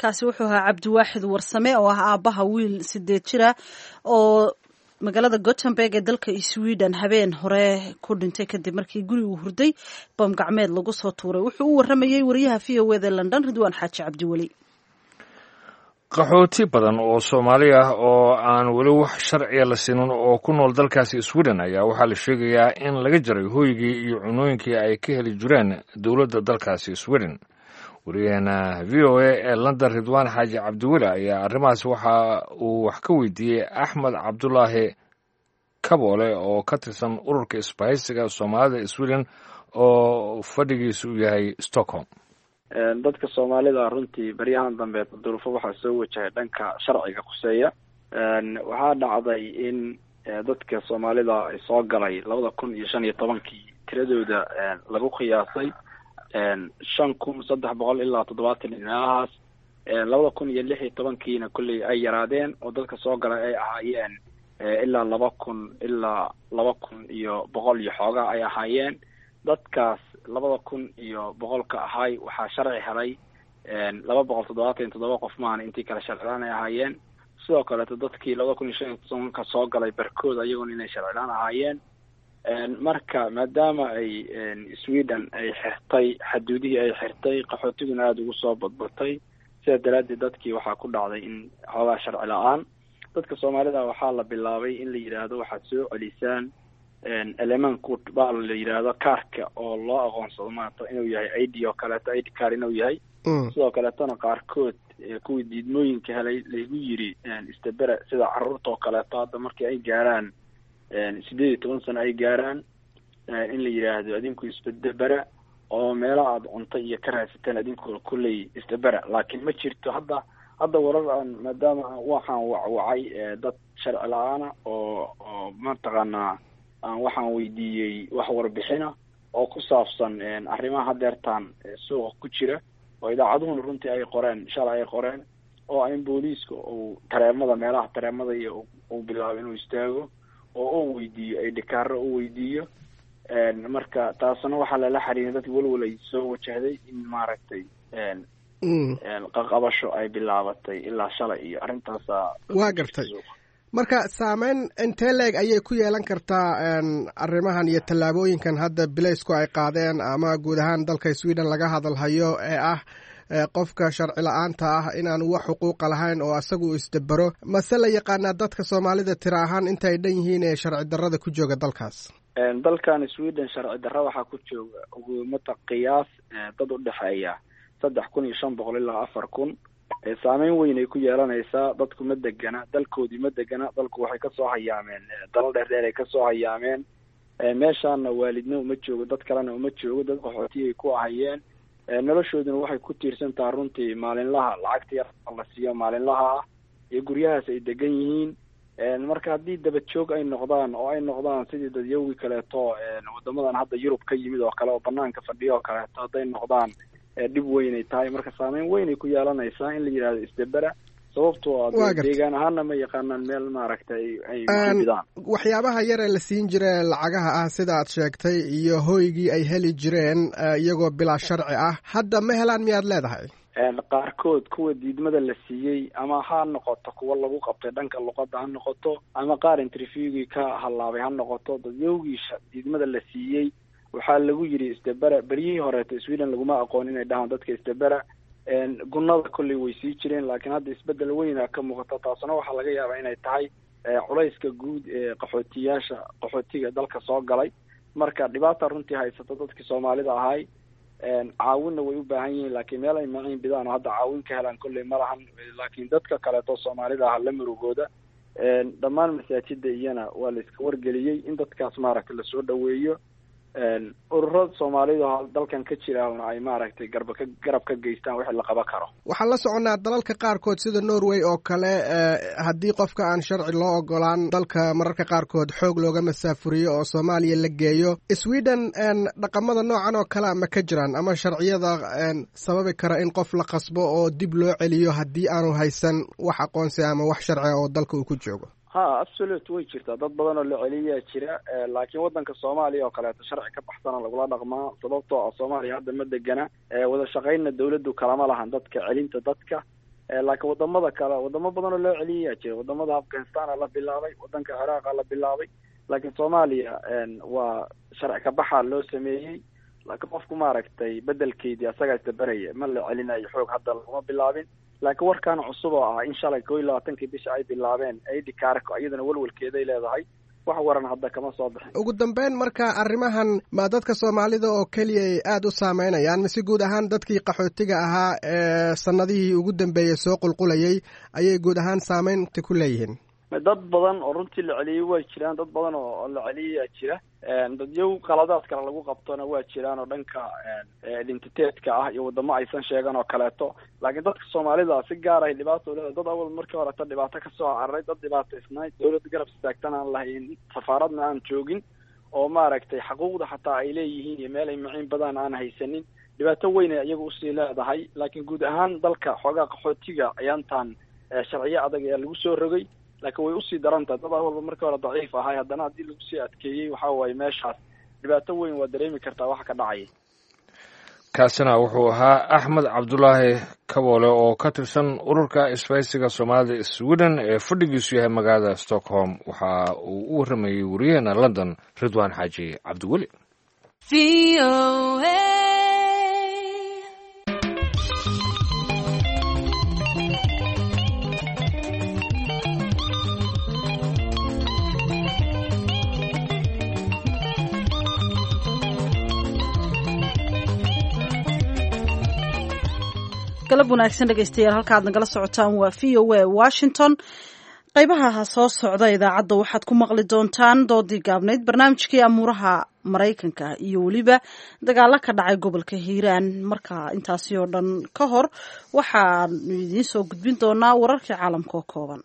Kaasi wuxuu ahaa Cabdiwaaxid Warsame oo ah aabbaha wiil 8 jira oo magaalada Gothenburg ee dalka Sweden habeen hore ku dhintay kadib markii gurigu hurday bam gacmeed lagu soo tuuray. Wuxuu u waramayey wariyaha VOA da London, Ridwaan Xaaji Cabdiweli. Qaxooti badan oo Soomaali ah oo aan weli wax sharciya la siinin oo ku nool dalkaasi Sweden ayaa waxaa la sheegayaa in laga jaray hooygii iyo cunooyinkii ay ka heli jireen dowladda dalkaasi Sweden. Wariyaheena VOA ee London, Ridwaan Xaaji Cabdiweli, ayaa arrimahaas waxa uu wax ka weydiiyey Axmed Cabdulaahi Kaboole oo ka tirsan ururka isbahaysiga Soomaalida Sweden oo fadhigiisu uu yahay Stockholm. Dadka Soomaalida runtii baryahan dambe duruufo waxaa soo wajahay dhanka sharciga khuseeya. Waxaa dhacday in dadka Soomaalida ay soo galay 2015-kii tiradooda lagu qiyaasay 5370 ilaa 70 meelahaas. 2016-kiina kolley ay yaraadeen oo dadka soo galay ay ahaayeen ilaa 2000 ilaa 2100 iyo xoogaa ay ahaayeen. Dadkaas 2100-ka ahay waxaa sharci helay 277 qof maahana, intii kale sharcilaan ay ahaayeen. Sidoo kaleeto dadkii 2015-ka soo galay barkood ayagoona inay sharcilaan ahaayeen. Marka maadaama ay Sweden ay xirtay xaduudihii ay xirtay, qaxootiguna aada ugu soo badbatay, sidaa daraaddeed dadkii waxaa ku dhacday in xoogaa sharci la-aan. Dadka Soomaalida waxaa la bilaabay in la yidhaahdo waxaad soo celisaan elemanku baa la yidhaahdo kaarka oo loo aqoonsado maanta inuu yahay ID oo kaleeto, ID card inuu yahay. Sidoo kaleetona qaarkood kuwii diidmooyinka helay laygu yiri istabere, sida carruurta oo kaleeto hadda markii ay gaaraan 18 sano ay gaaraan, in la yidhaahdo adinku isbedebera oo meelo aada cunto iyo ka raadsateen adinku kulley isdabera. Laakiin ma jirto hadda warar aan, maadaama waxaan wacwacay dad sharci la-aana oo mataqaanaa aan waxaan weydiiyey wax warbixina oo ku saabsan arrimaha hadeertaan suuqa ku jira oo idaacaduhuna runtii ay qoreen shalay ay qoreen, oo in booliiska uu tareemada meelaha tareemada iyo uu bilaabo inuu istaago oo uu weydiiyo ay dhikaaro u weydiiyo. Marka taasna waxaa lala xiriiray dadka walwal ay soo wajahday in maaragtay qaqabasho ay bilaabatay ilaa shalay iyo arrintaasa. Waa gartay. Marka saameyn intee leeg ayay ku yeelan kartaa arrimahan iyo tallaabooyinkan hadda bilaysku ay qaadeen ama guud ahaan dalka Sweden laga hadalhayo ee ah qofka sharci la-aanta ah inaanu wax xuquuqa lahayn oo asagu isdabero? Mase la yaqaanaa dadka Soomaalida tira ahaan inta ay dhan yihiin ee sharci darrada ku jooga dalkaas? Dalkan Sweden sharci darra waxaa ku jooga ugumata qiyaas dad u dhexeeya 3500 ilaa 4000. Saameyn weyn ay ku yeelanaysaa. Dadku ma degana dalkoodii, ma degana dalku, waxay kasoo hayaameen dalal dheer dheer ay kasoo hayaameen. Meeshaana waalidna uma joogo, dad kalena uma joogo, dad qaxootiyay ku ahayeen. Noloshooduna waxay ku tiirsan taha runtii maalinlaha lacagta yar la siiyo maalinlaha ah iyo guryahaas ay degan yihiin. Marka haddii daba joog ay noqdaan oo ay noqdaan sidii dadyowgii kaleeto wadamadan hadda Yurub ka yimid oo kale oo banaanka fadhiyo oo kaleeto hadday noqdaan, dhib weynay tahay. Marka saameyn weynay ku yeelanaysaa in la yidhahdo isdabera, sababtoo ah deegaan ahaana ma yaqaanaan meel maaragtay ay bidaan. Waxyaabaha yar ee la siin jire lacagaha ah sida aad sheegtay iyo hoygii ay heli jireen iyagoo bilaa sharci ah hadda ma helaan miyaad leedahay? Qaarkood kuwa diidmada la siiyey ama ha noqoto kuwa lagu qabtay dhanka luqadda ha noqoto ama qaar interviewgii ka hallaabay ha noqoto, dadyowgii diidmada la siiyey waxaa lagu yidhi isdabera. Beryihii horeeto Sweden laguma aqoon inay dhahaan dadka isdabera. Gunnada kolley way sii jireen, laakiin hadda isbeddel weyna ka muuqata. Taasna waxaa laga yaabaa inay tahay culayska guud ee qaxootiyaasha qaxootiga dalka soo galay. Marka dhibaata runtii haysata dadkii Soomaalida ahay, caawinna way u baahan yihiin, laakiin meel ay maciin bidaan oo hadda caawin ka helaan kolley ma lahan. Laakiin dadka kaleeto Soomaalida ah la murugooda dhammaan masaajida iyana waa la iska wargeliyey in dadkaas maaragtay lasoo dhaweeyo, ururada Soomaalida dalkan ka jiraana ay maaragtay garba ka garab ka geystaan wixii la qaban karo. Waxaan la soconnaa dalalka qaarkood sida Norway oo kale, haddii qofka aan sharci loo ogolaan dalka mararka qaarkood xoog looga masaafuriyo oo Soomaaliya la geeyo. Sweden dhaqamada noocan oo kalea ma ka jiraan ama sharciyada sababi kara in qof la qasbo oo dib loo celiyo haddii aanu haysan wax aqoonsi ama wax sharci oo dalka uu ku joogo? Ha, absolute, way jirtaa. Dad badan oo la celiyaa jira, laakiin waddanka Soomaaliya oo kaleeto sharci ka baxsana lagula dhaqmaa, sababtoo ah Soomaaliya hadda ma degana, wada shaqaynna dawladdu kalama lahan dadka celinta dadka. Laakiin wadamada kale, wadamo badan oo loo celiyayaa jira. Wadamada Afghanistan la bilaabay, wadanka Ciraaqa la bilaabay, laakiin Soomaaliya waa sharci kabaxa loo sameeyey. Laakiin qofku maaragtay bedelkeedii asagaa isdabaraya, ma la celinayo xoog, hadda laguma bilaabin. Laakiin warkan cusub oo ah in shalay 21-kii bisha ay bilaabeen ID kaarka, iyadana welwelkeeday leedahay. Wax waran hadda kama soo bixin. Ugu dambeyn, marka arrimahan ma dadka Soomaalida oo keliya ay aada u saameynayaan, mise guud ahaan dadkii qaxootiga ahaa ee sanadihii ugu dambeeyey soo qulqulayay ayay guud ahaan saameynta ku leeyihiin? Dad badan oo runtii la celiyey way jiraan, dad badan oo la celiyayaa jira. Dadyow qaladaad kale lagu qabtona waa jiraan oo dhanka identitetka ah iyo wadamo aysan sheegan oo kaleeto. Laakiin dadka Soomaalida si gaar ahay dhibaato uleeda. Dad awal markii horeta dhibaato kasoo cararay, dad dhibaataysnay, dawlad garab istaagtan aan lahayn, safaaradna aan joogin, oo maaragtay xaquuqda xataa ay leeyihiin iyo meel ay maciin badan aan haysanin, dhibaato weyn ay iyaga usii leedahay. Laakiin guud ahaan dalka xoogaa qaxootiga ayaantan sharciyo adag ayaa lagu soo rogay, laakiin way usii daran tahay. Dad walba markii hore daciif ahay, haddana haddii lagu sii adkeeyey, waxa waaye meeshaas dhibaato weyn waa dareemi kartaa waxa ka dhacaya. Kaasina wuxuu ahaa Axmed Cabdulaahi Kaboole oo ka tirsan ururka isbahaysiga Soomaalida Sweden ee fadhigiisu yahay magaalada Stockholm. Waxa uu u warramayey wariyaheena London, Ridwaan Xaaji Cabdiweli. Galab wanaagsan dhegeystayaal, halka aad nagala socotaan waa VOA Washington. Qaybaha soo socda idaacadda waxaad ku maqli doontaan doodii gaabnayd, barnaamijkii amuuraha Maraykanka iyo weliba dagaalo ka dhacay gobolka Hiiraan. Marka intaasi oo dhan ka hor waxaanu idiin soo gudbin doonaa wararkii caalamka oo kooban.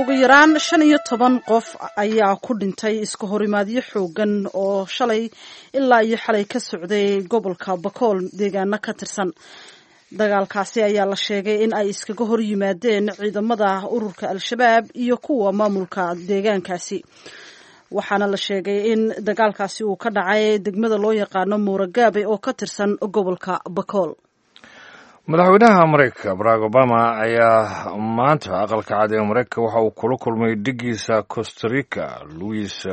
Ugu yaraan 15 qof ayaa ku dhintay iska horimaadyo xoogan oo shalay ilaa iyo xalay ka socday gobolka Bakool deegaano ka tirsan. Dagaalkaasi ayaa la sheegay in ay iskaga hor yimaadeen ciidamada ururka Al-Shabaab iyo kuwa maamulka deegaankaasi, waxaana la sheegay in dagaalkaasi uu ka dhacay degmada loo yaqaano Muuragaabe oo ka tirsan gobolka Bakool. Madaxweynaha Maraykanka Barack Obama ayaa maanta aqalka cad ee Maraykanka waxa uu kula kulmay dhigiisa Costa Rica, Luis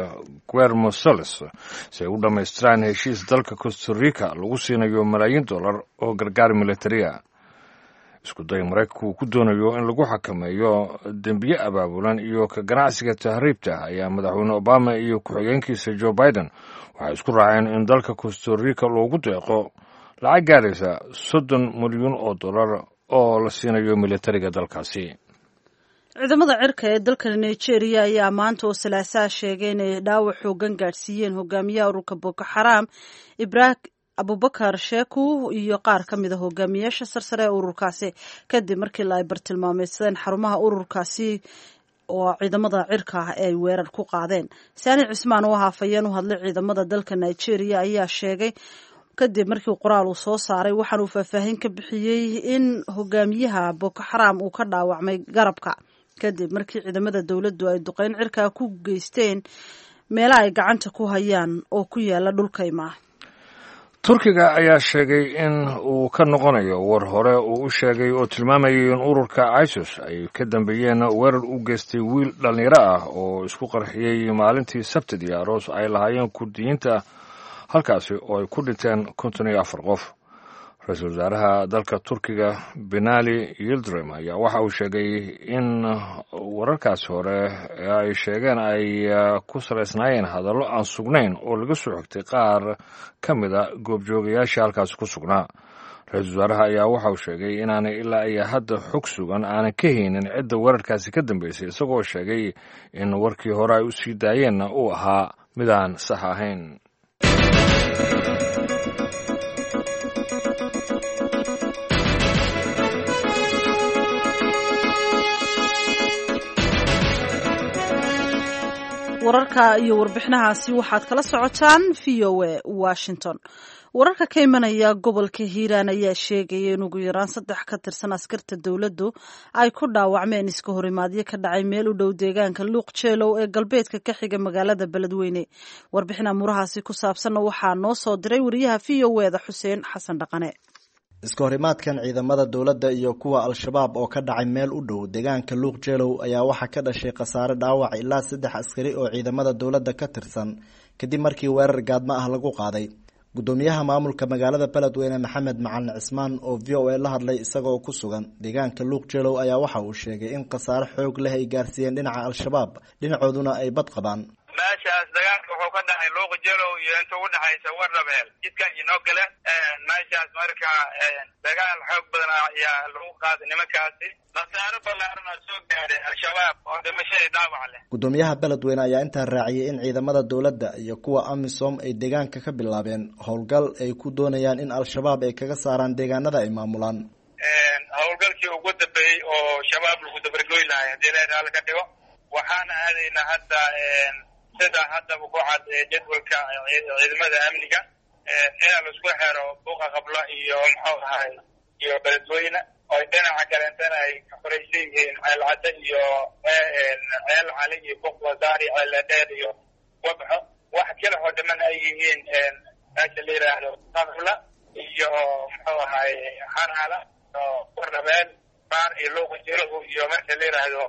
Guermo Solis, si ay u dhammaystiraan heshiis dalka Costa Rica lagu siinayo malaayiin dollar oo gargaar militariya. Isku day Maraykanku uu ku doonayo in lagu xakameeyo dembiye abaabulan iyo ka ganacsiga tahriibta ayaa madaxweyne Obama iyo ku-xigeenkiisa Joe Biden waxay isku raaceen in dalka Costa Rica loogu deeqo lacag gaaraysa 30 milyuun oo dollar oo la siinayo militariga dalkaasi. Ciidamada cirka ee dalka Nigeria ayaa maanta oo Salaasaa sheegay inay dhaawac xoogan gaadhsiiyeen hogaamiyaha ururka Boko Xaram, Ibrahim Abubakar Sheku, iyo qaar ka mid a hogaamiyaasha sarsare ee ururkaasi, kadib markii la ay bartilmaameysadeen xarumaha ururkaasi oo ciidamada cirka ah ay weerar ku qaadeen. Saani Cismaan oo haafayeen u hadlay ciidamada dalka Nigeria ayaa sheegay kadib markii qoraal uu soo saaray, waxaana uu faahfaahin ka bixiyey in hogaamiyaha Boko Xaram uu ka dhaawacmay garabka kadib markii ciidamada dowladdu ay duqeyn cirkaa ku geysteen meelaha ay gacanta ku hayaan oo ku yaala dhulkaymaa. Turkiga ayaa sheegay in uu ka noqonayo war hore uu u sheegay oo tilmaamayay in ururka ISIS ay ka dambeeyeen weerar u geystay wiil dhallinyaro ah oo isku qarxiyey maalintii Sabtidii aroos ay lahaayeen Kurdiyiinta, halkaasi oo ay ku dhinteen 54 qof. Ra-iisul wasaaraha dalka Turkiga Binali Yildirim ayaa waxa uu sheegay in wararkaasi hore ee ay sheegeen ay ku salaysnaayeen hadallo aan sugnayn oo laga soo xigtay qaar ka mid a goobjoogayaasha halkaasi ku sugnaa. Ra-iisul wasaaraha ayaa waxa uu sheegay inaanay ilaa iyo hadda xog sugan aanan ka haynin cidda weerarkaasi ka dambeysay, isagoo sheegay in warkii hore ay u sii daayeenna uu ahaa midaan sax ahayn. Wararka iyo warbixinahaasi waxaad kala socotaan VOA Washington. Wararka ka imanaya gobolka Hiiraan ayaa sheegaya in ugu yaraan 3 ka tirsan askarta dowladdu ay ku dhaawacmeen iska horimaadyo ka dhacay meel u dhow deegaanka Luuq Jeelow ee galbeedka ka xiga magaalada Beledweyne. Warbixin amuurahaasi ku saabsanna waxaa noo soo diray wariyaha VOA-da Xuseen Xasan Dhaqane. Iska horimaadkan ciidamada dowladda iyo kuwa Al-Shabaab oo ka dhacay meel u dhow deegaanka Luuq Jeelow ayaa waxaa ka dhashay khasaare dhaawac ilaa 3 askari oo ciidamada dowladda ka tirsan kadib markii weerar gaadmo ah lagu qaaday. Gudoomiyaha maamulka magaalada Beledweyne Maxamed Macalin Cismaan oo VOA la hadlay isagoo ku sugan deegaanka Luuq Jeelow ayaa waxa uu sheegay in khasaare xoog leh ay gaarsiiyeen dhinaca Al-Shabaab, dhinacooduna ay bad qabaan. Meeshaas dagaalka wuxuu ka dhacay Luuq Jeelow iyo inta u dhexaysa Wardhabeel jidka inoo gale meeshaas. Marka dagaal xoog badan ayaa lagu qaaday nimankaasi, khasaaro ballaaran oo soo gaaray Al-Shabaab oo dhimashadii dhaawac leh. Gudoomiyaha Beledweyne ayaa intaa raaciyay in ciidamada dowladda iyo kuwa AMISOM ay deegaanka ka bilaabeen howlgal ay ku doonayaan in Al-Shabaab ay kaga saaraan deegaanada ay maamulaan. Howlgalkii ugu dambeeyey oo Shabaab lagu dabargoy lahay haddii la raali ka dhigo, waxaana aadaynaa hadda sida haddaba ku cad jadwalka ciidamada amniga inaa laisku xero Buuqa Qabla iyo muxuu ahay iyo Beledweyne, oo dhinaca kaleentana ay ka xoraysan yihiin Ceelcadde iyo Ceel Cali iyo Buuq Wasaar iyo Ceeldheer iyo Wabxo. Wax kale oo dhiman ay yihiin meesha la yidhaahdo Qabla iyo muxuu ahay Xarala oo Wardhabeel Baar iyo Luuqa Jilahu iyo meesha la yidhaahdo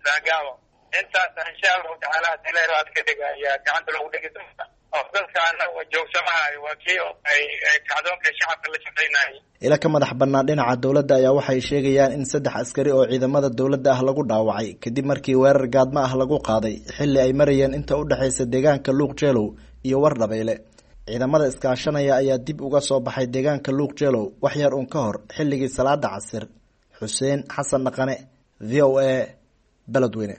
Saagaabo. Intaas insha Allahu tacaala hadii la yaraad ka dhiga ayaa gacanta lagu dhigi doonta. Oo dalkaana joogsamahayo waa kii ay kacdoonka shacabka la shaqaynayay. Ila ka madax bannaan dhinaca dowladda ayaa waxay sheegayaan in 3 askari oo ciidamada dowladda ah lagu dhaawacay kadib markii weerar gaadmo ah lagu qaaday xilli ay marayeen inta u dhexaysa deegaanka Luuq Jeelow iyo Wardhabeyle. Ciidamada iskaashanaya ayaa dib uga soo baxay deegaanka Luuq Jeelow wax yar uun ka hor xilligii salaada casir. Xuseen Xasan Dhaqane, VOA, Beledweyne.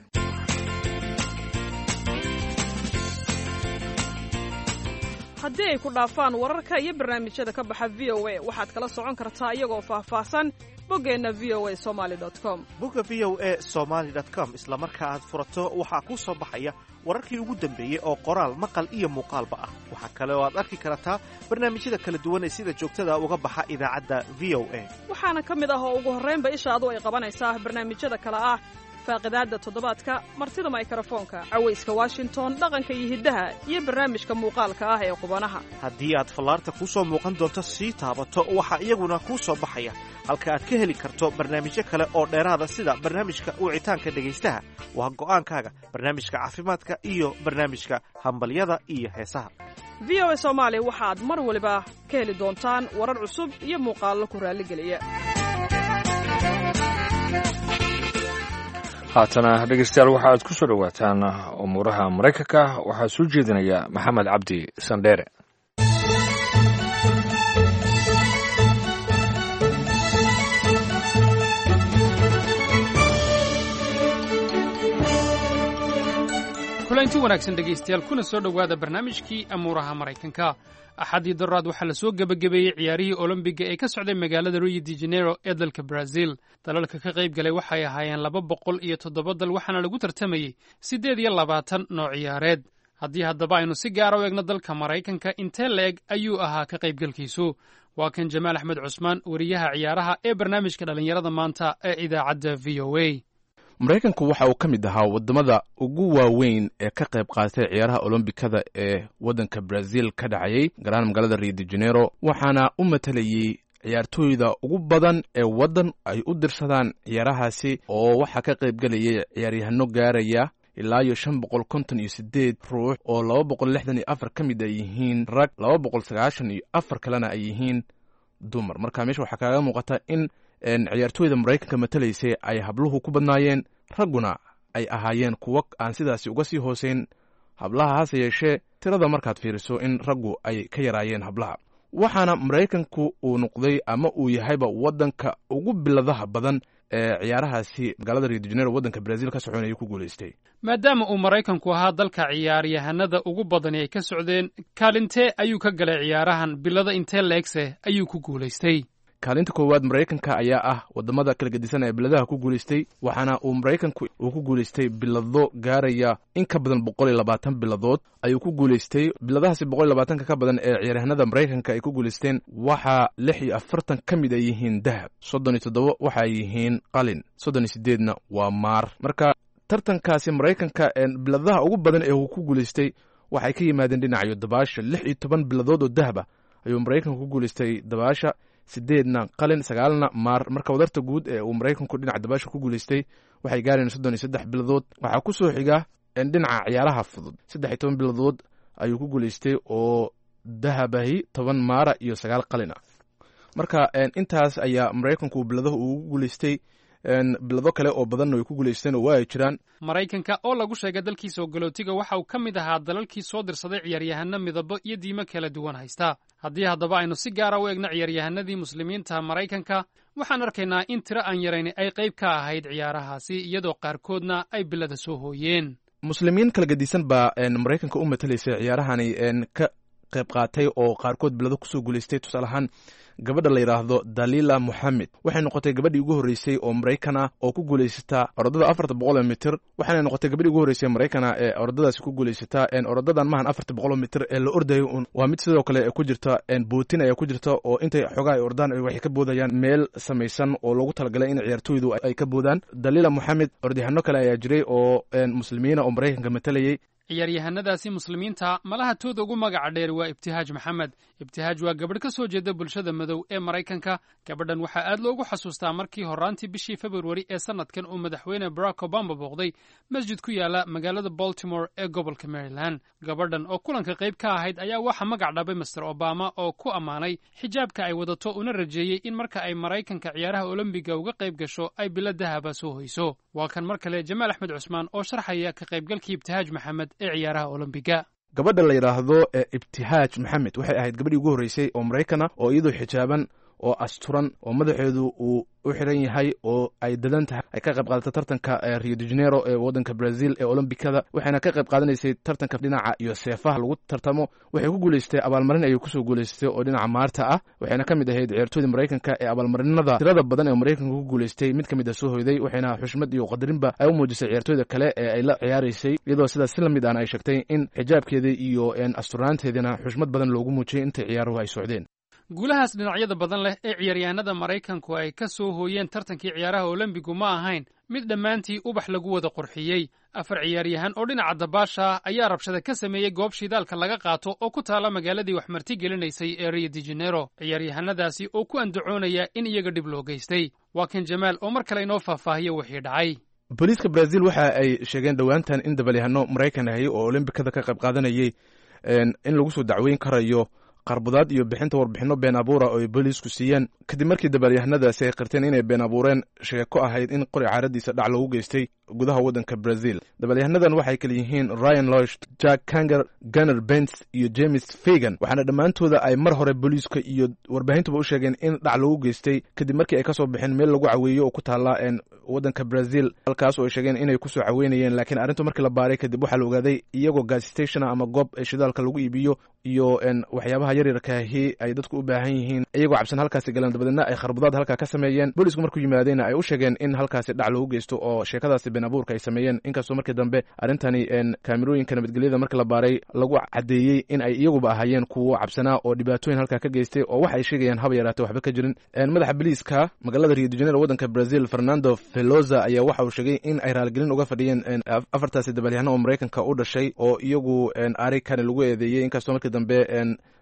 Haddii ay ku dhaafaan wararka iyo barnaamijyada ka baxa VOA, waxaad kala socon kartaa iyagoo faahfaahsan boggeenna VOA Somali com. Bogga VOA Somaly com isla marka aad furato waxaa kuu soo baxaya wararkii ugu dambeeyey oo qoraal, maqal iyo muuqaalba ah. Waxaa kale oo aad arki kartaa barnaamijyada kala duwan ee sida joogtada uga baxa idaacadda VOA. Waxaana ka mid ah oo ugu horraynba ishaadu ay qabanaysaa barnaamijyada kale ah faaqidaadda toddobaadka, martida maykarafoonka, cawayska Washington, dhaqanka iyo hiddaha, iyo barnaamijka muuqaalka ah ee qubanaha. Haddii aad fallaarta kuu soo muuqan doonto sii taabato, waxaa iyaguna kuu soo baxaya halka aad ka heli karto barnaamijyo kale oo dheeraada sida barnaamijka wicitaanka dhegaystaha, waa go'aankaaga, barnaamijka caafimaadka iyo barnaamijka hambalyada iyo heesaha. VOA Soomaali waxaad mar waliba ka heli doontaan warar cusub iyo muuqaallo ku raalligeliya. Haatana dhegeystayaal, waxa aad ku soo dhowaataan umuuraha Maraykanka. Waxaa soo jeedinaya Maxamed Cabdi Sandheere. Kulanti wanaagsan dhegaystayaal, kuna soo dhowaada barnaamijkii amuuraha Maraykanka. Axaddii daraad waxaa la soo gebagabeeyey ciyaarihii Olombiga ee ka socday magaalada Rio de Janeiro ee dalka Brazil. Dalalka ka qayb galay waxay ahaayeen 207 dal, waxaana lagu tartamayey 28 nooc ciyaareed. Haddii haddaba aynu si gaara u eegno dalka Maraykanka, intee la-eg ayuu ahaa ka qaybgalkiisu? Waa kan Jamaal Axmed Cusmaan, wariyaha ciyaaraha ee barnaamijka dhallinyarada maanta ee idaacadda VOA. Maraykanku waxa uu ka mid ahaa waddamada ugu waaweyn ee ka qayb qaatay ciyaaraha olombikada ee waddanka Brazil ka dhacayay, gaar ahaan magaalada Rio de Janeiro, waxaana u matalayey ciyaartooyda ugu badan ee waddan ay u dirsadaan ciyaarahaasi, oo waxaa ka qayb gelayay ciyaaryahano gaaraya ilaa iyo 558 ruux, oo 264 ka mid ay yihiin rag, 294 kalena ay yihiin dumar. Marka meesha waxaa kaaga muuqata in ciyaartooyda Maraykanka matalaysay ay habluhu ku badnaayeen, ragguna ay ahaayeen kuwo aan sidaasi uga sii hooseyn hablaha, hase yeeshee tirada markaad fiiriso in raggu ay ka yaraayeen hablaha. Waxaana Maraykanku uu noqday ama uu yahayba waddanka ugu biladaha badan ee ciyaarahaasi magaalada Rio de Janeiro waddanka Brazil ka soconaya ku guulaystay. Maadaama uu Maraykanku ahaa dalka ciyaaryahanada ugu badani ay ka socdeen, kaalintee ayuu ka galay ciyaarahan? Bilada intee leegse ayuu ku guulaystay? Kaalinta koowaad Maraykanka ayaa ah wadamada kala gedisan ee biladaha ku guulaystay, waxaana uu Maraykanku uu ku guulaystay bilado gaaraya in ka badan 120 biladood ayuu ku guulaystay. Biladahaasi 120-ka ka badan ee ciyaaryahanada Maraykanka ay ku guulaysteen waxaa 46 ka mid ay yihiin dahab, 37 waxa ay yihiin qalin, 38-na waa maar. Marka tartankaasi Maraykanka biladaha ugu badan ee uu ku guulaystay waxay ka yimaadeen dhinacyo dabaasha. 16 biladood oo dahaba ayuu Maraykanku ku guulaystay dabaasha, 8-na qalin, 9-na maar. Marka wadarta guud ee uu Maraykanku dhinaca dabaasha ku guulaystay waxay gaareen 33 biladood. Waxaa ku soo xiga dhinaca ciyaaraha fudud, 13 biladood ayuu ku guulaystay oo dahabahi, 10 maara iyo 9 qalin ah. Marka intaas ayaa Maraykanku biladaha ugu guulaystay. Bilado kale oo badanna way ku guulaysteen oo waa ay jiraan. Maraykanka oo lagu sheegay dalkiisa ogolootiga waxa uu ka mid ahaa dalalkii soo dirsaday ciyaaryahano midabo iyo diimo kala duwan haysta. Haddii haddaba aynu si gaara u eegno ciyaaryahanadii muslimiinta Maraykanka, waxaan arkaynaa in tiro aan yarayni ay qayb ka ahayd ciyaarahaasi, iyadoo qaarkoodna ay bilada soo hooyeen. Muslimiin kala gedisan baa Maraykanka u matalaysay ciyaarahani ka qayb qaatay oo qaarkood bilado kusoo guulaystay. Tusaale ahaan, gabadha la yidhaahdo Dalila Moxamed waxay noqotay gabadhii ugu horreysay oo Maraykan ah oo ku guulaysata orodada 400 mitir, waxaana noqotay gabadhii ugu horreysay Maraykan ah ee orodadaasi ku guulaysata. Orodadan maahan 400 mitir ee la ordayo un, waa mid sidoo kale ku jirta bootin ayaa ku jirta, oo intay xogaa ay ordaan waxay ka boodayaan meel samaysan oo loogu talagalay in ciyaartooydu ay ka boodaan. Dalila Moxamed, orodyahanno kale ayaa jiray oo muslimiina oo Maraykanka matalayay. Ciyaaryahanadaasi muslimiinta malaha tooda ugu magaca dheer waa Ibtihaaj Maxamed. Ibtihaaj waa gabadh ka soo jeeda bulshada madow ee Maraykanka. Gabadhan waxaa aad loogu xasuustaa markii horraantii bishii Februari ee sanadkan uu madaxweyne Barack Obama booqday masjid ku yaala magaalada Baltimore ee gobolka Maryland. Gabadhan oo kulanka qayb ka ahayd ayaa waxaa magac dhabay Master Obama oo ku ammaanay xijaabka ay wadato, una rajeeyey in marka ay Maraykanka ciyaaraha Olombiga uga qayb gasho ay bilo dahaba soo hoyso. Waa kan mar kale Jamaal Axmed Cusmaan oo sharxaya ka qaybgalkii Ibtihaaj Maxamed ee ciyaaraha Olombiga. Gabadha la yidhaahdo ee Ibtihaaj Maxamed waxay ahayd gabadhii ugu horreysay oo Maraykana oo iyadoo xijaaban oo asturan oo madaxeedu uu u xiran yahay oo ay dadan tahay ay ka qayb qaadata tartanka Rio de Janeiro ee waddanka Brazil ee Olombikada, waxayna ka qayb qaadanaysay tartanka dhinaca iyo seefaha lagu tartamo. Waxay ku guulaystay abaalmarin ayay kusoo guulaystay oo dhinaca maarta ah, waxayna ka mid ahayd ciyaartooyda Maraykanka ee abaalmarinada tirada badan ee Maraykanka ku guulaystay mid ka mid a soo hoyday. Waxayna xushmad iyo qadarinba ay u muujisay ciyaartooyda kale ee ay la ciyaaraysay, iyadoo sidaas si lamid ahna ay sheegtay in xijaabkeeda iyo asturnaanteedina xushmad badan loogu muujiyay intay ciyaaruhu ay socdeen. Guulahaas dhinacyada badan leh ee ciyaaryahanada Maraykanku ay ka soo hooyeen tartankii ciyaaraha Olombigu ma ahayn mid dhammaantii ubax lagu wada qurxiyey. Afar ciyaaryahan oo dhinaca dabaasha ah ayaa rabshada ka sameeyey goob shidaalka laga qaato oo ku taala magaaladii wax marti gelinaysay ee Rio de Janeiro, ciyaaryahanadaasi oo ku andacoonaya in iyaga dhib loo geystay. Waa kan Jamaal oo mar kale inoo faahfaahiyo wixii dhacay. Booliiska Brazil waxa ay sheegeen dhowaantan in dabalyahano Maraykan ahi oo Olombikada ka qayb qaadanayay in lagu soo dacweyn karayo qarbudaad iyo bixinta warbixinno been abuura oo ay booliisku siiyeen, kadib markii dabaalyahanadaasi ay qirteen inay been abuureen sheeko ahayd in qori caaradiisa dhac loogu geystay gudaha waddanka Brazil. Dabalyahanadan waxay kala yihiin Ryan Losh, Jack Kanger, Gunner Bents iyo James Fagan, waxaana dhammaantooda ay mar hore booliiska iyo warbaahintuba u sheegeen in dhac loogu geystay kadib markii ay ka soo baxeen meel lagu caweeyo oo ku taalla waddanka Brazil, halkaas oo ay sheegeen inay kusoo caweynayeen. Laakiin arrintu markii la baaray kadib waxaa la ogaaday iyagoo gas station ama goob shidaalka lagu iibiyo iyo waxyaabaha yaryarkaahi ay dadku u baahan yihiin iyagoo cabsan halkaasi galeen, dabadeedna ay kharbudaad halkaa ka sameeyeen. Boolisku markuu yimaadeyna ay u sheegeen in halkaasi dhac loogu geysto oo sheekadaasi been abuurka ay sameeyeen, inkastoo markii dambe arrintani kaamirooyinka nabadgelyada markii la baaray lagu caddeeyey in ay iyaguba ahaayeen kuwo cabsanaa oo dhibaatooyin halkaa ka geystay oo wax ay sheegayaan haba yaraatee waxba ka jirin. Madaxa boliiska magaalada Rio de Janeiro waddanka Brazil, Fernando Veloza, ayaa waxa uu sheegay in ay raaligelin uga fadhiyeen afartaasi dabalyahano oo Maraykanka u dhashay oo iyagu arikani lagu eedeeyey, inkastoo markii dambe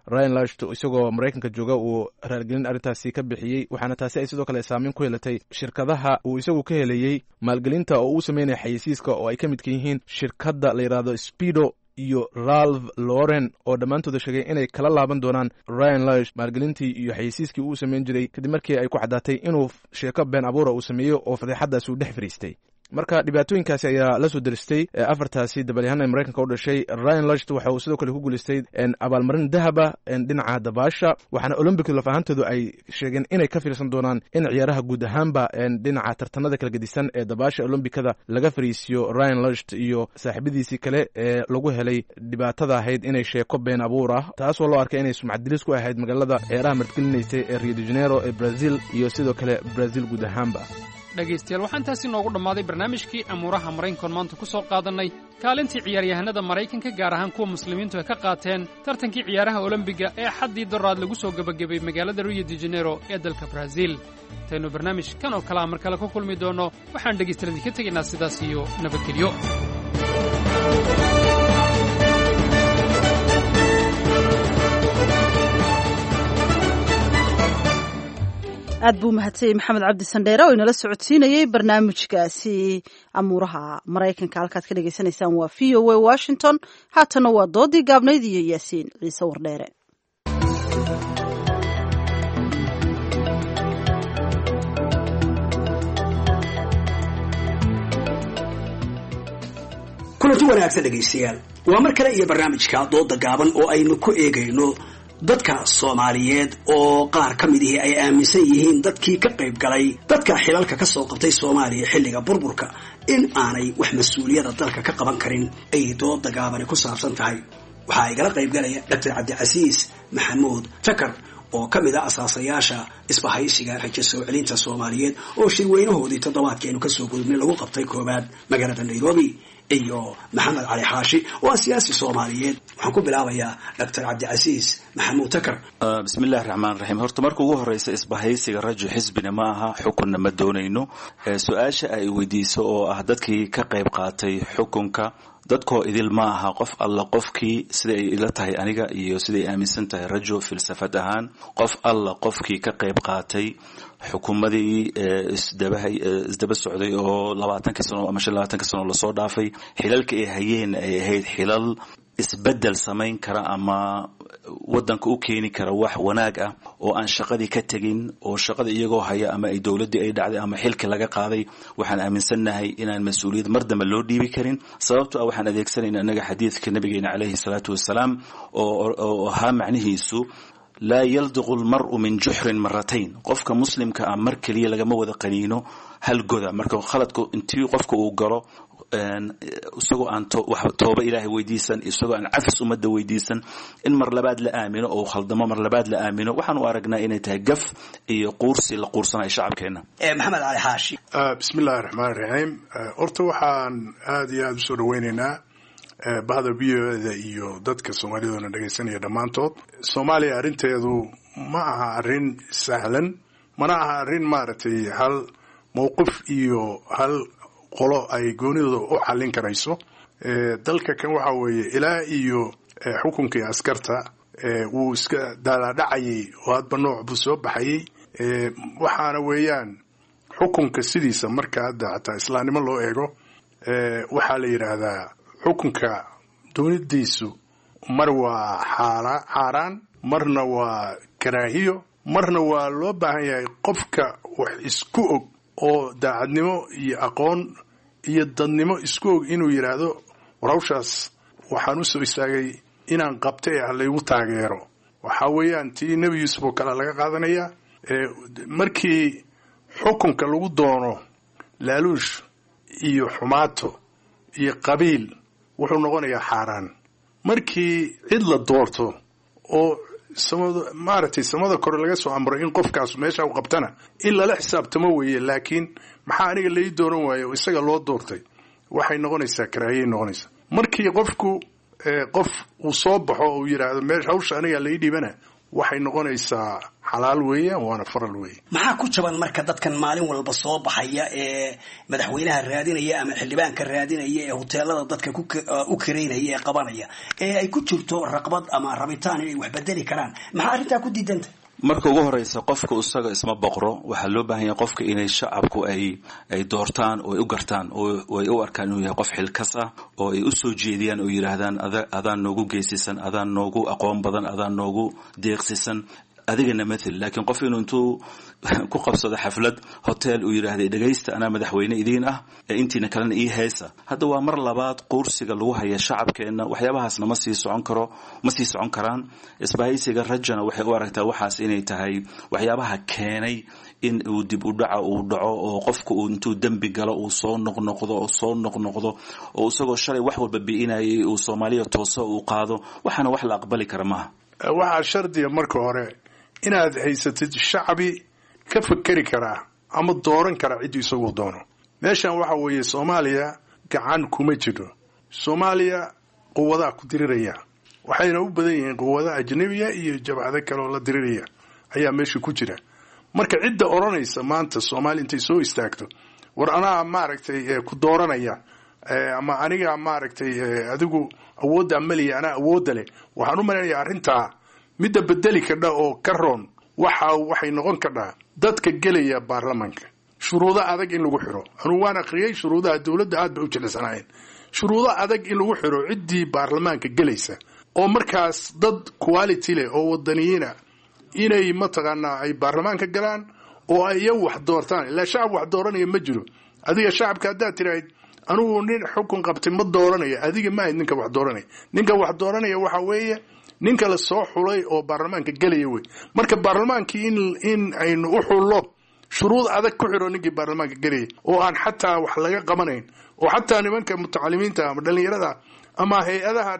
Ryan Lasht isagoo Maraykanka jooga uu raaligelin arrintaasi ka bixiyey. Waxaana taasi ay sidoo kale saameyn ku yeelatay shirkadaha uu isagu ka helayey maalgelinta oo uu sameynaya xayeysiiska, oo ay ka midka yihiin shirkadda la yidhaahdo Speedo iyo Ralph Lauren, oo dhammaantooda sheegay inay kala laaban doonaan Ryan Lash maalgelintii iyo xayeysiiskii uu samayn jiray, kadib markii ay ku caddaatay inuu sheeko been abuura uu sameeyey oo fadeexaddaasi uu dhex fariistay. Marka dhibaatooyinkaasi ayaa la soo deristay afartaasi dabalyahan ee Maraykanka u dhashay. Ryan Lochte waxa uu sidoo kale ku guuleystay abaalmarin dahaba dhinaca dabaasha, waxaana Olympic laf ahaantoodu ay sheegeen inay ka fiirsan doonaan in ciyaaraha guud ahaanba dhinaca tartanada kala gedisan ee dabaasha Olombikada laga fariisiyo Ryan Lochte iyo saaxiibadiisii kale ee lagu helay dhibaatada ahayd inay sheeko been abuur ah, taasoo loo arkay inay sumcad dilis ku ahayd magaalada ciyaaraha martigelinaysay ee Rio de Janeiro ee Brazil iyo sidoo kale Brazil guud ahaanba. Dhegaystayaal, waxaan taasi noogu dhammaaday barnaamijkii amuuraha Maraykankoon maanta ku soo qaadannay kaalintii ciyaaryahanada Maraykanka, gaar ahaan kuwa muslimiintu ay ka qaateen tartankii ciyaaraha Olombiga ee xaddii doraad lagu soo gebagabeeyey magaalada Rio de Janeiro ee dalka Braziil. Intaynu barnaamij kan oo kalea mar kale ku kulmi doonno, waxaan dhegaystayaal idinka tegaynaa sidaas iyo nabadgelyo. Aad buu mahadsanyay Maxamed Cabdi Sandheere oo inala socodsiinayey barnaamijkaasi amuuraha Maraykanka. Halkaad ka dhagaysanaysaan waa VOA Washington. Haatana waa doodii gaabnayd iyo Yaasiin Ciise Wardheere. Kulanti wanaagsan dhegaystayaal, waa mar kale iyo barnaamijka dooda gaaban oo aynu ku eegayno dadka Soomaaliyeed oo qaar ka mid ihi ay aaminsan yihiin dadkii ka qayb galay dadka xilalka ka soo qabtay Soomaaliya xilliga burburka in aanay wax mas-uuliyada dalka ka qaban karin ay dooda gaabani ku saabsan tahay. Waxaa igala qayb galaya Dr. Cabdicasiis Maxamuud Takar oo ka mid a asaasayaasha isbahaysiga rajo soo celinta Soomaaliyeed oo shirweynahoodii toddobaadkeenu kasoo gudubnay lagu qabtay koowaad magaalada Nairobi, iyo Maxamed Cali Xaashi oo ah siyaasi Soomaaliyeed. Waxaan ku bilaabayaa Dr. Cabdicasiis Maxamuud Takar. Bismi illahi raxmaan raxiim. Horta marka ugu horeysa, isbahaysiga Rajo xisbina ma aha, xukunna ma doonayno. Su-aasha ay weydiiso oo ah dadkii ka qayb qaatay xukunka, dadkoo idil ma aha. Qof alla qofkii, sida ay ila tahay aniga iyo siday aaminsan tahay Rajo filsafad ahaan, qof alla qofkii ka qayb qaatay xukuumadii isdaba socday oo 20-kii sano ama 25-kii sano lasoo dhaafay, xilalka ay hayeen ay ahayd xilal isbedel samayn kara ama wadanka u keeni kara wax wanaag ah, oo aan shaqadii ka tegin oo shaqada iyagoo haya ama ay dowladdii ay dhacday ama xilkii laga qaaday, waxaan aaminsannahay inaan mas-uuliyad mar dambe loo dhiibi karin. Sababto ah waxaan adeegsanayna annaga xadiidka nabigeena caleyhi salaatu wasalaam oo ahaa macnihiisu laa yaldiqu lmaru min juxrin maratayn. Qofka muslimka ah mar keliya lagama wada qaniino hal goda. Marka khaladku intii qofka uu galo isagoo aan tooba ilaahay weydiisan, isagoo aan cafis ummadda weydiisan, in mar labaad la aamino oo khaldamo mar labaad la aamino, waxaan u aragnaa inay tahay gaf iyo quursi la quursanayo shacabkeenna. Maxamed Cali Xaashi. Bismi illahi raxmaan raxiim. Horta waxaan aada iyo aada usoo dhaweyneynaa bahda VOA-da iyo dadka soomaaliduna dhegaysanaya dhammaantood. Soomaaliya arrinteedu ma aha arrin sahlan, mana aha arrin maaragtay hal mowqif iyo hal qolo ay goonidooda u xallin karayso. Dalka kan waxa weeye ilaa iyo xukunkii askarta wuu iska daalaadhacayay oo hadba nooc buu soo baxayay. Waxaana weeyaan xukunka sidiisa marka hadda xataa islaamnimo loo eego, waxaa la yidhaahdaa xukunka doonidiisu mar waa xaaraan, marna waa karaahiyo, marna waa loo baahan yahay qofka wax isku og oo daacadnimo iyo aqoon iyo dadnimo isku og inuu yidhaahdo war hawshaas waxaan u soo istaagay inaan qabta ee laygu taageero. Waxaa weeyaan tii Nebi Yuusuf oo kale laga qaadanayaa. Markii xukunka lagu doono laaluush iyo xumaato iyo qabiil, wuxuu noqonayaa xaaraan. Markii cid la doorto oo maaragtay samada kore laga soo amro in qofkaas meesha u qabtana, in lala xisaabtamo weeye. Laakiin maxaa aniga lai dooran waayo oo isaga loo doortay? Waxay noqonaysaa karaahiyay noqonaysaa. Markii qofku qof uu soo baxo oo uu yidhaahdo meesha hawsha aniga lai dhiibana, waxay noqonaysaa xalaal weeyaan waana faral weeye. Maxaa ku jaban marka dadkan maalin walba soo baxaya ee madaxweynaha raadinaya ama xildhibaanka raadinaya ee hoteelada dadka u kareynaya ee qabanaya ee ay ku jirto raqbad ama rabitaan inay wax bedeli karaan? Maxaa arrintaa ku diidanta? Marka ugu horeysa, qofka isaga isma boqro. Waxaa loo baahan yahay qofka inay shacabku ay doortaan oo ay u gartaan oo ay u arkaan inuu yahay qof xilkas ah oo ay u soo jeediyaan oo yidhaahdaan adaan noogu geesisan, adaan noogu aqoon badan, adaan noogu deeqsisan. Adigana mathel, laakiin qof inuu intuu ku qabsado xaflad hotel uu yidhaahday, dhegaysta, anaa madaxweyne idiin ah ee intiina kalena ii heesa. Hadda waa mar labaad quursiga lagu haya shacabkeenna. Waxyaabahaasna ma sii socon karo, ma sii socon karaan. Isbahaysiga Rajana waxay u aragtaa waxaas inay tahay waxyaabaha keenay in uu dib u dhaca uu dhaco, oo qofku uu intuu dembi galo uu soo noqnoqdo oo soo noqnoqdo, oo isagoo shalay wax walba bi'inayay uu Soomaaliya tooso uu qaado. Waxaana wax la aqbali kara maaha. Waxaa shardiga marka hore inaad haysatid shacbi ka fakeri karaa ama dooran karaa cidduu isagu doono. Meeshan waxa weeye, Soomaaliya gacan kuma jiro. Soomaaliya quwadaa ku diriraya, waxayna u badan yihiin quwada ajnabiya iyo jabhado kale oo la diriraya ayaa meesha ku jira. Marka cidda odhanaysa maanta Soomaaliya intay soo istaagto, war anaa maaragtay ku dooranaya, ama aniga maaragtay adigu awoodda maliya, anaa awoodda leh, waxaan u malaynayaa arrintaa midda bedeli kadha oo ka roon waxa waxay noqon kadhaa dadka gelaya baarlamanka shuruudo adag in lagu xiro. Anugu waan akhriyey shuruudaha dowladda, aad bay u jilicsanaayeen. Shuruudo adag in lagu xiro ciddii baarlamaanka gelaysa, oo markaas dad quality leh oo wadaniyiina inay mataqaanaa ay baarlamaanka galaan oo ay iyagu wax doortaan. Ilaa shacab wax dooranaya ma jiro. Adiga shacabka haddaad tirahayd anigu nin xukun qabtay ma dooranaya, adiga ma ahayd ninka wax dooranaya. Ninka wax dooranaya waxa weeye ninka la soo xulay oo baarlamaanka gelaya wey. Marka baarlamaankii in aynu u xullo, shuruud adag ku xiro ninkii baarlamaanka gelaya, oo aan xataa wax laga qabanayn, oo xataa nimanka mutacalimiinta ama dhallinyarada ama hay-adaha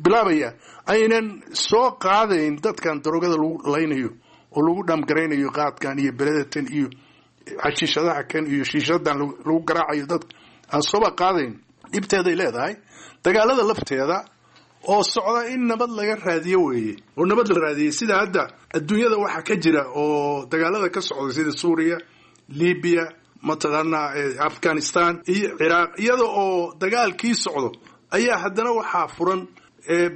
bilaabaya aynan soo qaadayn dadkan daroogada lagu laynayo oo lagu dhamgaraynayo, qaadkan iyo beledatan iyo xashiishadaha kan iyo shiishadan lagu garaacayo, dadka aan sooba qaadayn. Dhibteeday leedahay dagaalada lafteeda oo socda in nabad laga raadiyo weeye, oo nabad la raadiyey sida hadda adduunyada waxa ka jira oo dagaalada ka socda sida Suuriya, Libiya, mataqaanaa Afghanistan iyo Ciraaq. Iyada oo dagaalkii socdo ayaa haddana waxaa furan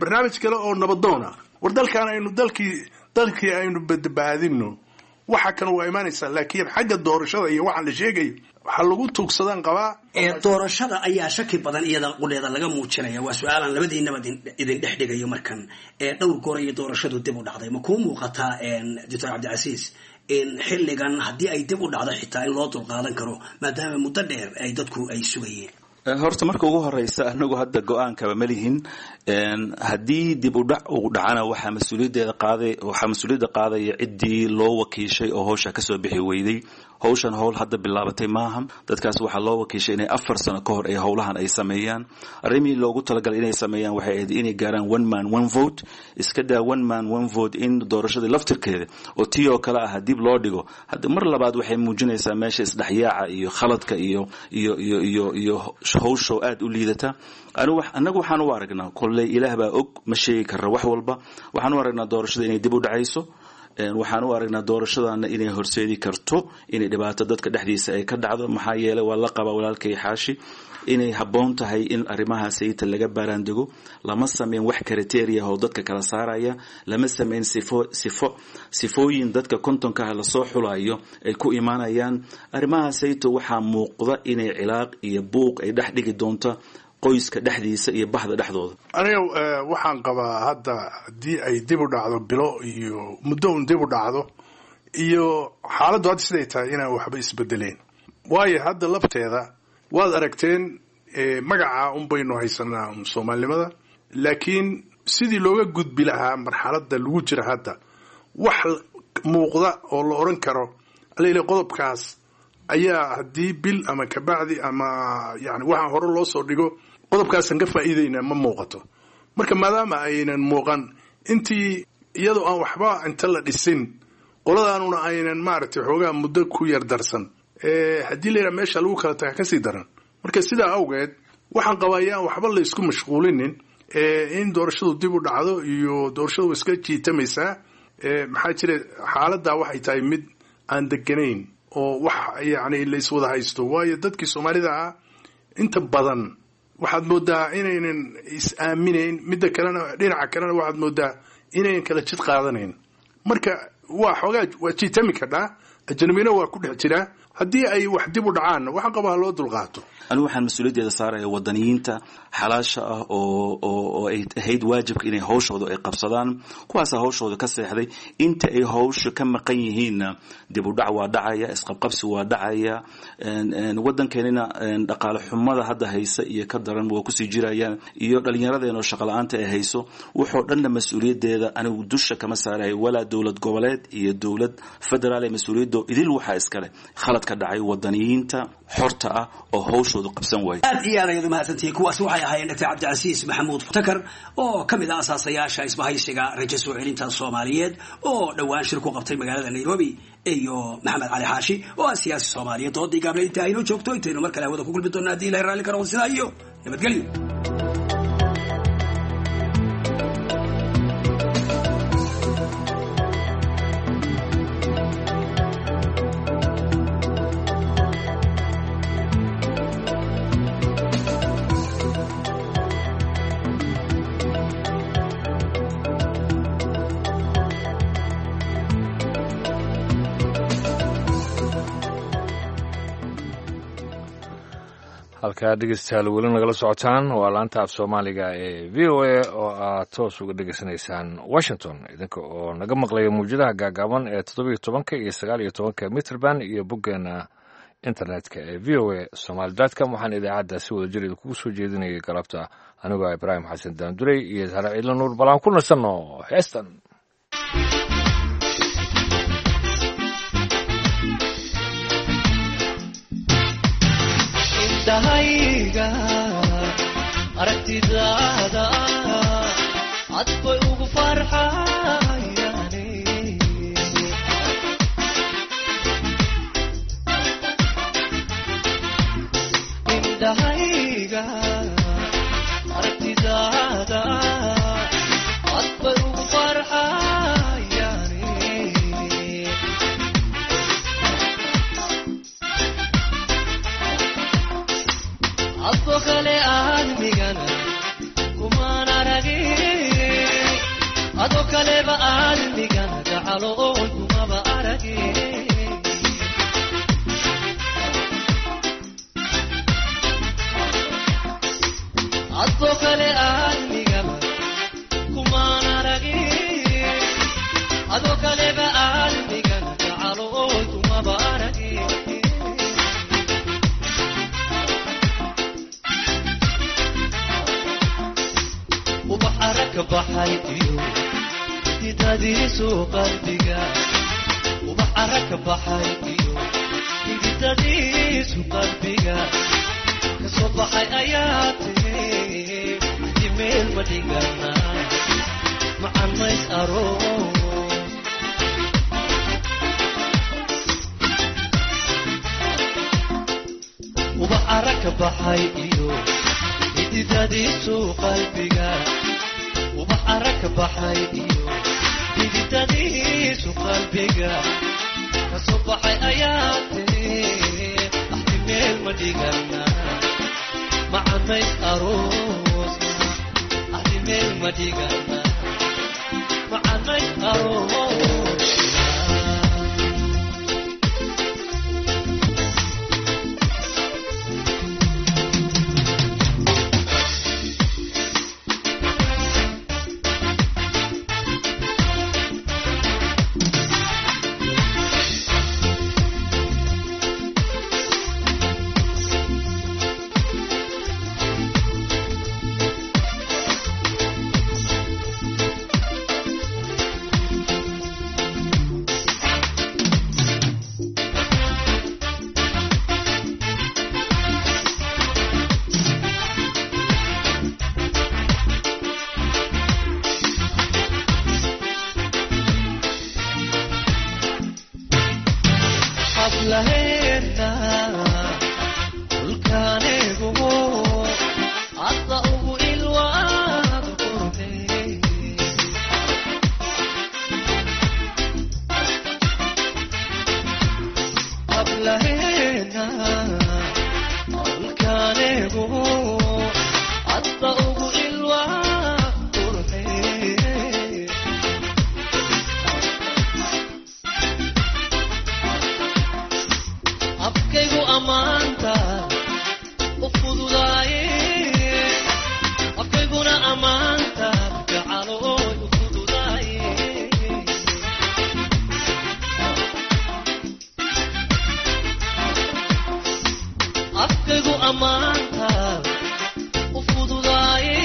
barnaamij kale oo nabadoon ah. War dalkan aynu dalkii aynu badbaadino. Waxa kan waa imaanaysaa, laakiin xagga doorashada iyo waxaan la sheegayo waxaa lagu tuugsadaan qabaa. Doorashada ayaa shaki badan iyada qudheeda laga muujinaya. Waa su-aalaan labadiinaba idin dhex dhigayo markan. Dhowr goor iyo doorashadu dib u dhacday. Ma kuu muuqataa, Doctor Cabdicasiis, in xilligan haddii ay dib u dhacdo xitaa in loo dulqaadan karo, maadaama muddo dheer ay dadku ay sugayeen? Horta marka ugu horeysa, anagu hadda go-aankaba ma lihin. Haddii dib u dhac uu dhacana, waxaa mas-uuliyaddeeda qaaday, waxaa mas-uuliyadda qaadaya ciddii loo wakiishay oo hawsha kasoo bixi weyday. Hawshan howl hadda bilaabatay maaha. Dadkaas waxaa loo wakiishay inay 4 sano ka hor ay howlahan ay sameeyaan. Arrimihii loogu talagalay inay sameeyaan waxay ahayd inay gaaraan one man one vote. Iska daa one man one vote, in doorashadii laftirkeeda oo tii oo kale ah dib loo dhigo hadda mar labaad waxay muujinaysaa meesha isdhexyaaca iyo khaladka iyo hawsho aad u liidata. Annagu waxaan u aragnaa, kolley Ilaah baa og, ma sheegi karra wax walba, waxaan u aragnaa doorashada inay dib u dhacayso. Waxaan u aragnaa doorashadana inay horseedi karto inay dhibaato dadka dhexdiisa ay ka dhacdo. Maxaa yeelay, waa la qabaa walaalkay Xaashi inay habboon tahay in arrimaha sayita laga baaraandego. Lama sameyn wax criteria oo dadka kala saaraya, lama sameyn sifo sifooyin dadka 50-kaha lasoo xulayo ay ku imaanayaan. Arrimaha sayto waxaa muuqda inay cilaaq iyo buuq ay dhex dhigi doonto qoyska dhexdiisa iyo bahda dhexdooda. Aniga waxaan qabaa hadda haddii ay dib u dhacdo bilo iyo muddo un dib u dhacdo iyo xaaladdu hadda siday tahay, inaan waxba isbedeleen. Waayo, hadda lafteeda waad aragteen, magaca un baynu haysanaa un soomaalinimada, laakiin sidii looga gudbi lahaa marxaladda lagu jira hadda wax muuqda oo la odhan karo alele qodobkaas ayaa haddii bil ama kabacdi ama yani waxaan hore loo soo dhigo qodobkaasaan ka faa'iidaynaa, ma muuqato. Marka maadaama aynan muuqan, intii iyadoo aan waxba inta la dhisin, qoladaanuna aynan maaragtay xoogaa muddo ku yar darsan, haddii la yidhaha meesha lagu kala taga kasii daran. Marka sidaa awgeed waxaan qabaa yaan waxba la isku mashquulinin in doorashadu dib u dhacdo iyo doorashadu iska jiitamaysaa. Maxaa jira, xaaladdaa waxay tahay mid aan deganayn oo wax yacni la iswada haysto. Waayo, dadkii Soomaalida ah inta badan waxaad moodaa inaynan is-aaminayn. Midda kalena, dhinaca kalena, waxaad moodaa inaynan kala jid qaadanayn. Marka waa xoogaa waa jiitami kadhaa, Ajnabina waa ku dhex jiraa. Haddii ay wax dib u dhacaanna, waxaan qabaa ha loo dulqaato. Anigu waxaan mas-uuliyaddeeda saaraya wadaniyiinta xalaasha ah oo ay ahayd waajibka inay hawshooda ay qabsadaan, kuwaasaa hawshooda ka seexday. Inta ay hawsha ka maqan yihiinna, dib u dhac waa dhacaya, isqabqabsi waa dhacaya, waddankeenina dhaqaale xumada hadda haysa iyo ka daran waa kusii jirayaan, iyo dhallinyaradeen oo shaqo la-aanta ay hayso. Wuxoo dhanna mas-uuliyaddeeda anigu dusha kama saarayo, walaa dowlad goboleed iyo dowlad federaal ee mas-uuliyaddo idil waxaa iskale khalad ka dhacay wadaniyiinta xorta ah oo hawshoodu qabsan waayay. Aad iyo aad ayaad umahadsantihiin. Kuwaasi waxay ahaayeen Dr. Cabdicasiis Maxamuud Takar oo ka mid ah asaasayaasha isbahaysiga Rajo Soo Celinta Soomaaliyeed oo dhowaan shir ku qabtay magaalada Nairobi, iyo Maxamed Cali Xaashi oo ah siyaasi Soomaaliyeed. Doodii gaable inta aynoo joogto, intaynu mar kale hawada ku kulmi doona haddii Ilahay raalli ka noqdo, sidaa iyo nabadgelyo. Halkaa dhegeystayaal weli nagala socotaan waa laanta af Soomaaliga ee VOA oo aad toos uga dhegeysanaysaan Washington, idinka oo naga maqlaya mawjadaha gaagaaban ee 17 iyo 19 mitrband iyo boggeena internetka ee voasomali.com. Waxaan idaacadda si wada jir idinkugu soo jeedinayay galabta anigoo Ibraahim Xasan Daandurey iyo Sare Ciidla Nuur. Balaan ku nasanno heestan. Indhahayga aragtidaada cad bay ugu farxayaane, indhahayga aragtidaada cad bay ugu farxayaane. Adoo kale aadmigana kumaan aragin, adoo kaleba aadmigana gacalo oon kumaba aragin. Adoo kale aadmigana kumaan aragin, adoo kaleba aadmigana gacalo oon kumaba aragin. Ubax arag baxay iyo xididadiisu qalbiga, ubax arag baxay iyo xididadiisu qalbiga kasoo baxay ayaa tiri axdi meel ma dhigana macan mays aroos. Ubax arag baxay iyo xididadiisu qalbiga, ubax arag baxay iyo xididadiisu qalbiga kasoo baxay ayaa tiri axdi meel ma dhigana macamays aroosna, axdi meel ma dhigana macamays aroosna. Hablaheena dhulkaanigugu hadda ugu ilwaad qurxey, hablaheena dhulkaanigugu hadda ugu ilwaad qurxey. Ammaanta u fududaaye,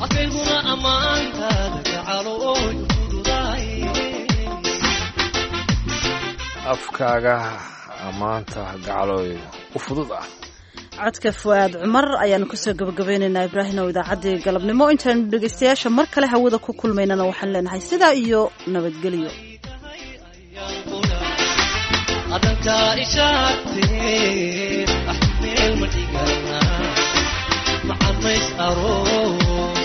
afkayguna ammaantaada gacalooy u fududaaye. Afkaaga ammaanta gacalooy u fudud ah. Codka Fu'aad Cumar ayaanu kusoo gabagabeynaynaa, Ibraahim, oo idaacaddii galabnimo. Intaanu dhegaystayaasha mar kale hawada ku kulmaynana waxaan leenahay sidaa iyo nabadgelyo. Adankaa ishaagtee, meel ma dhigana macamays aroor.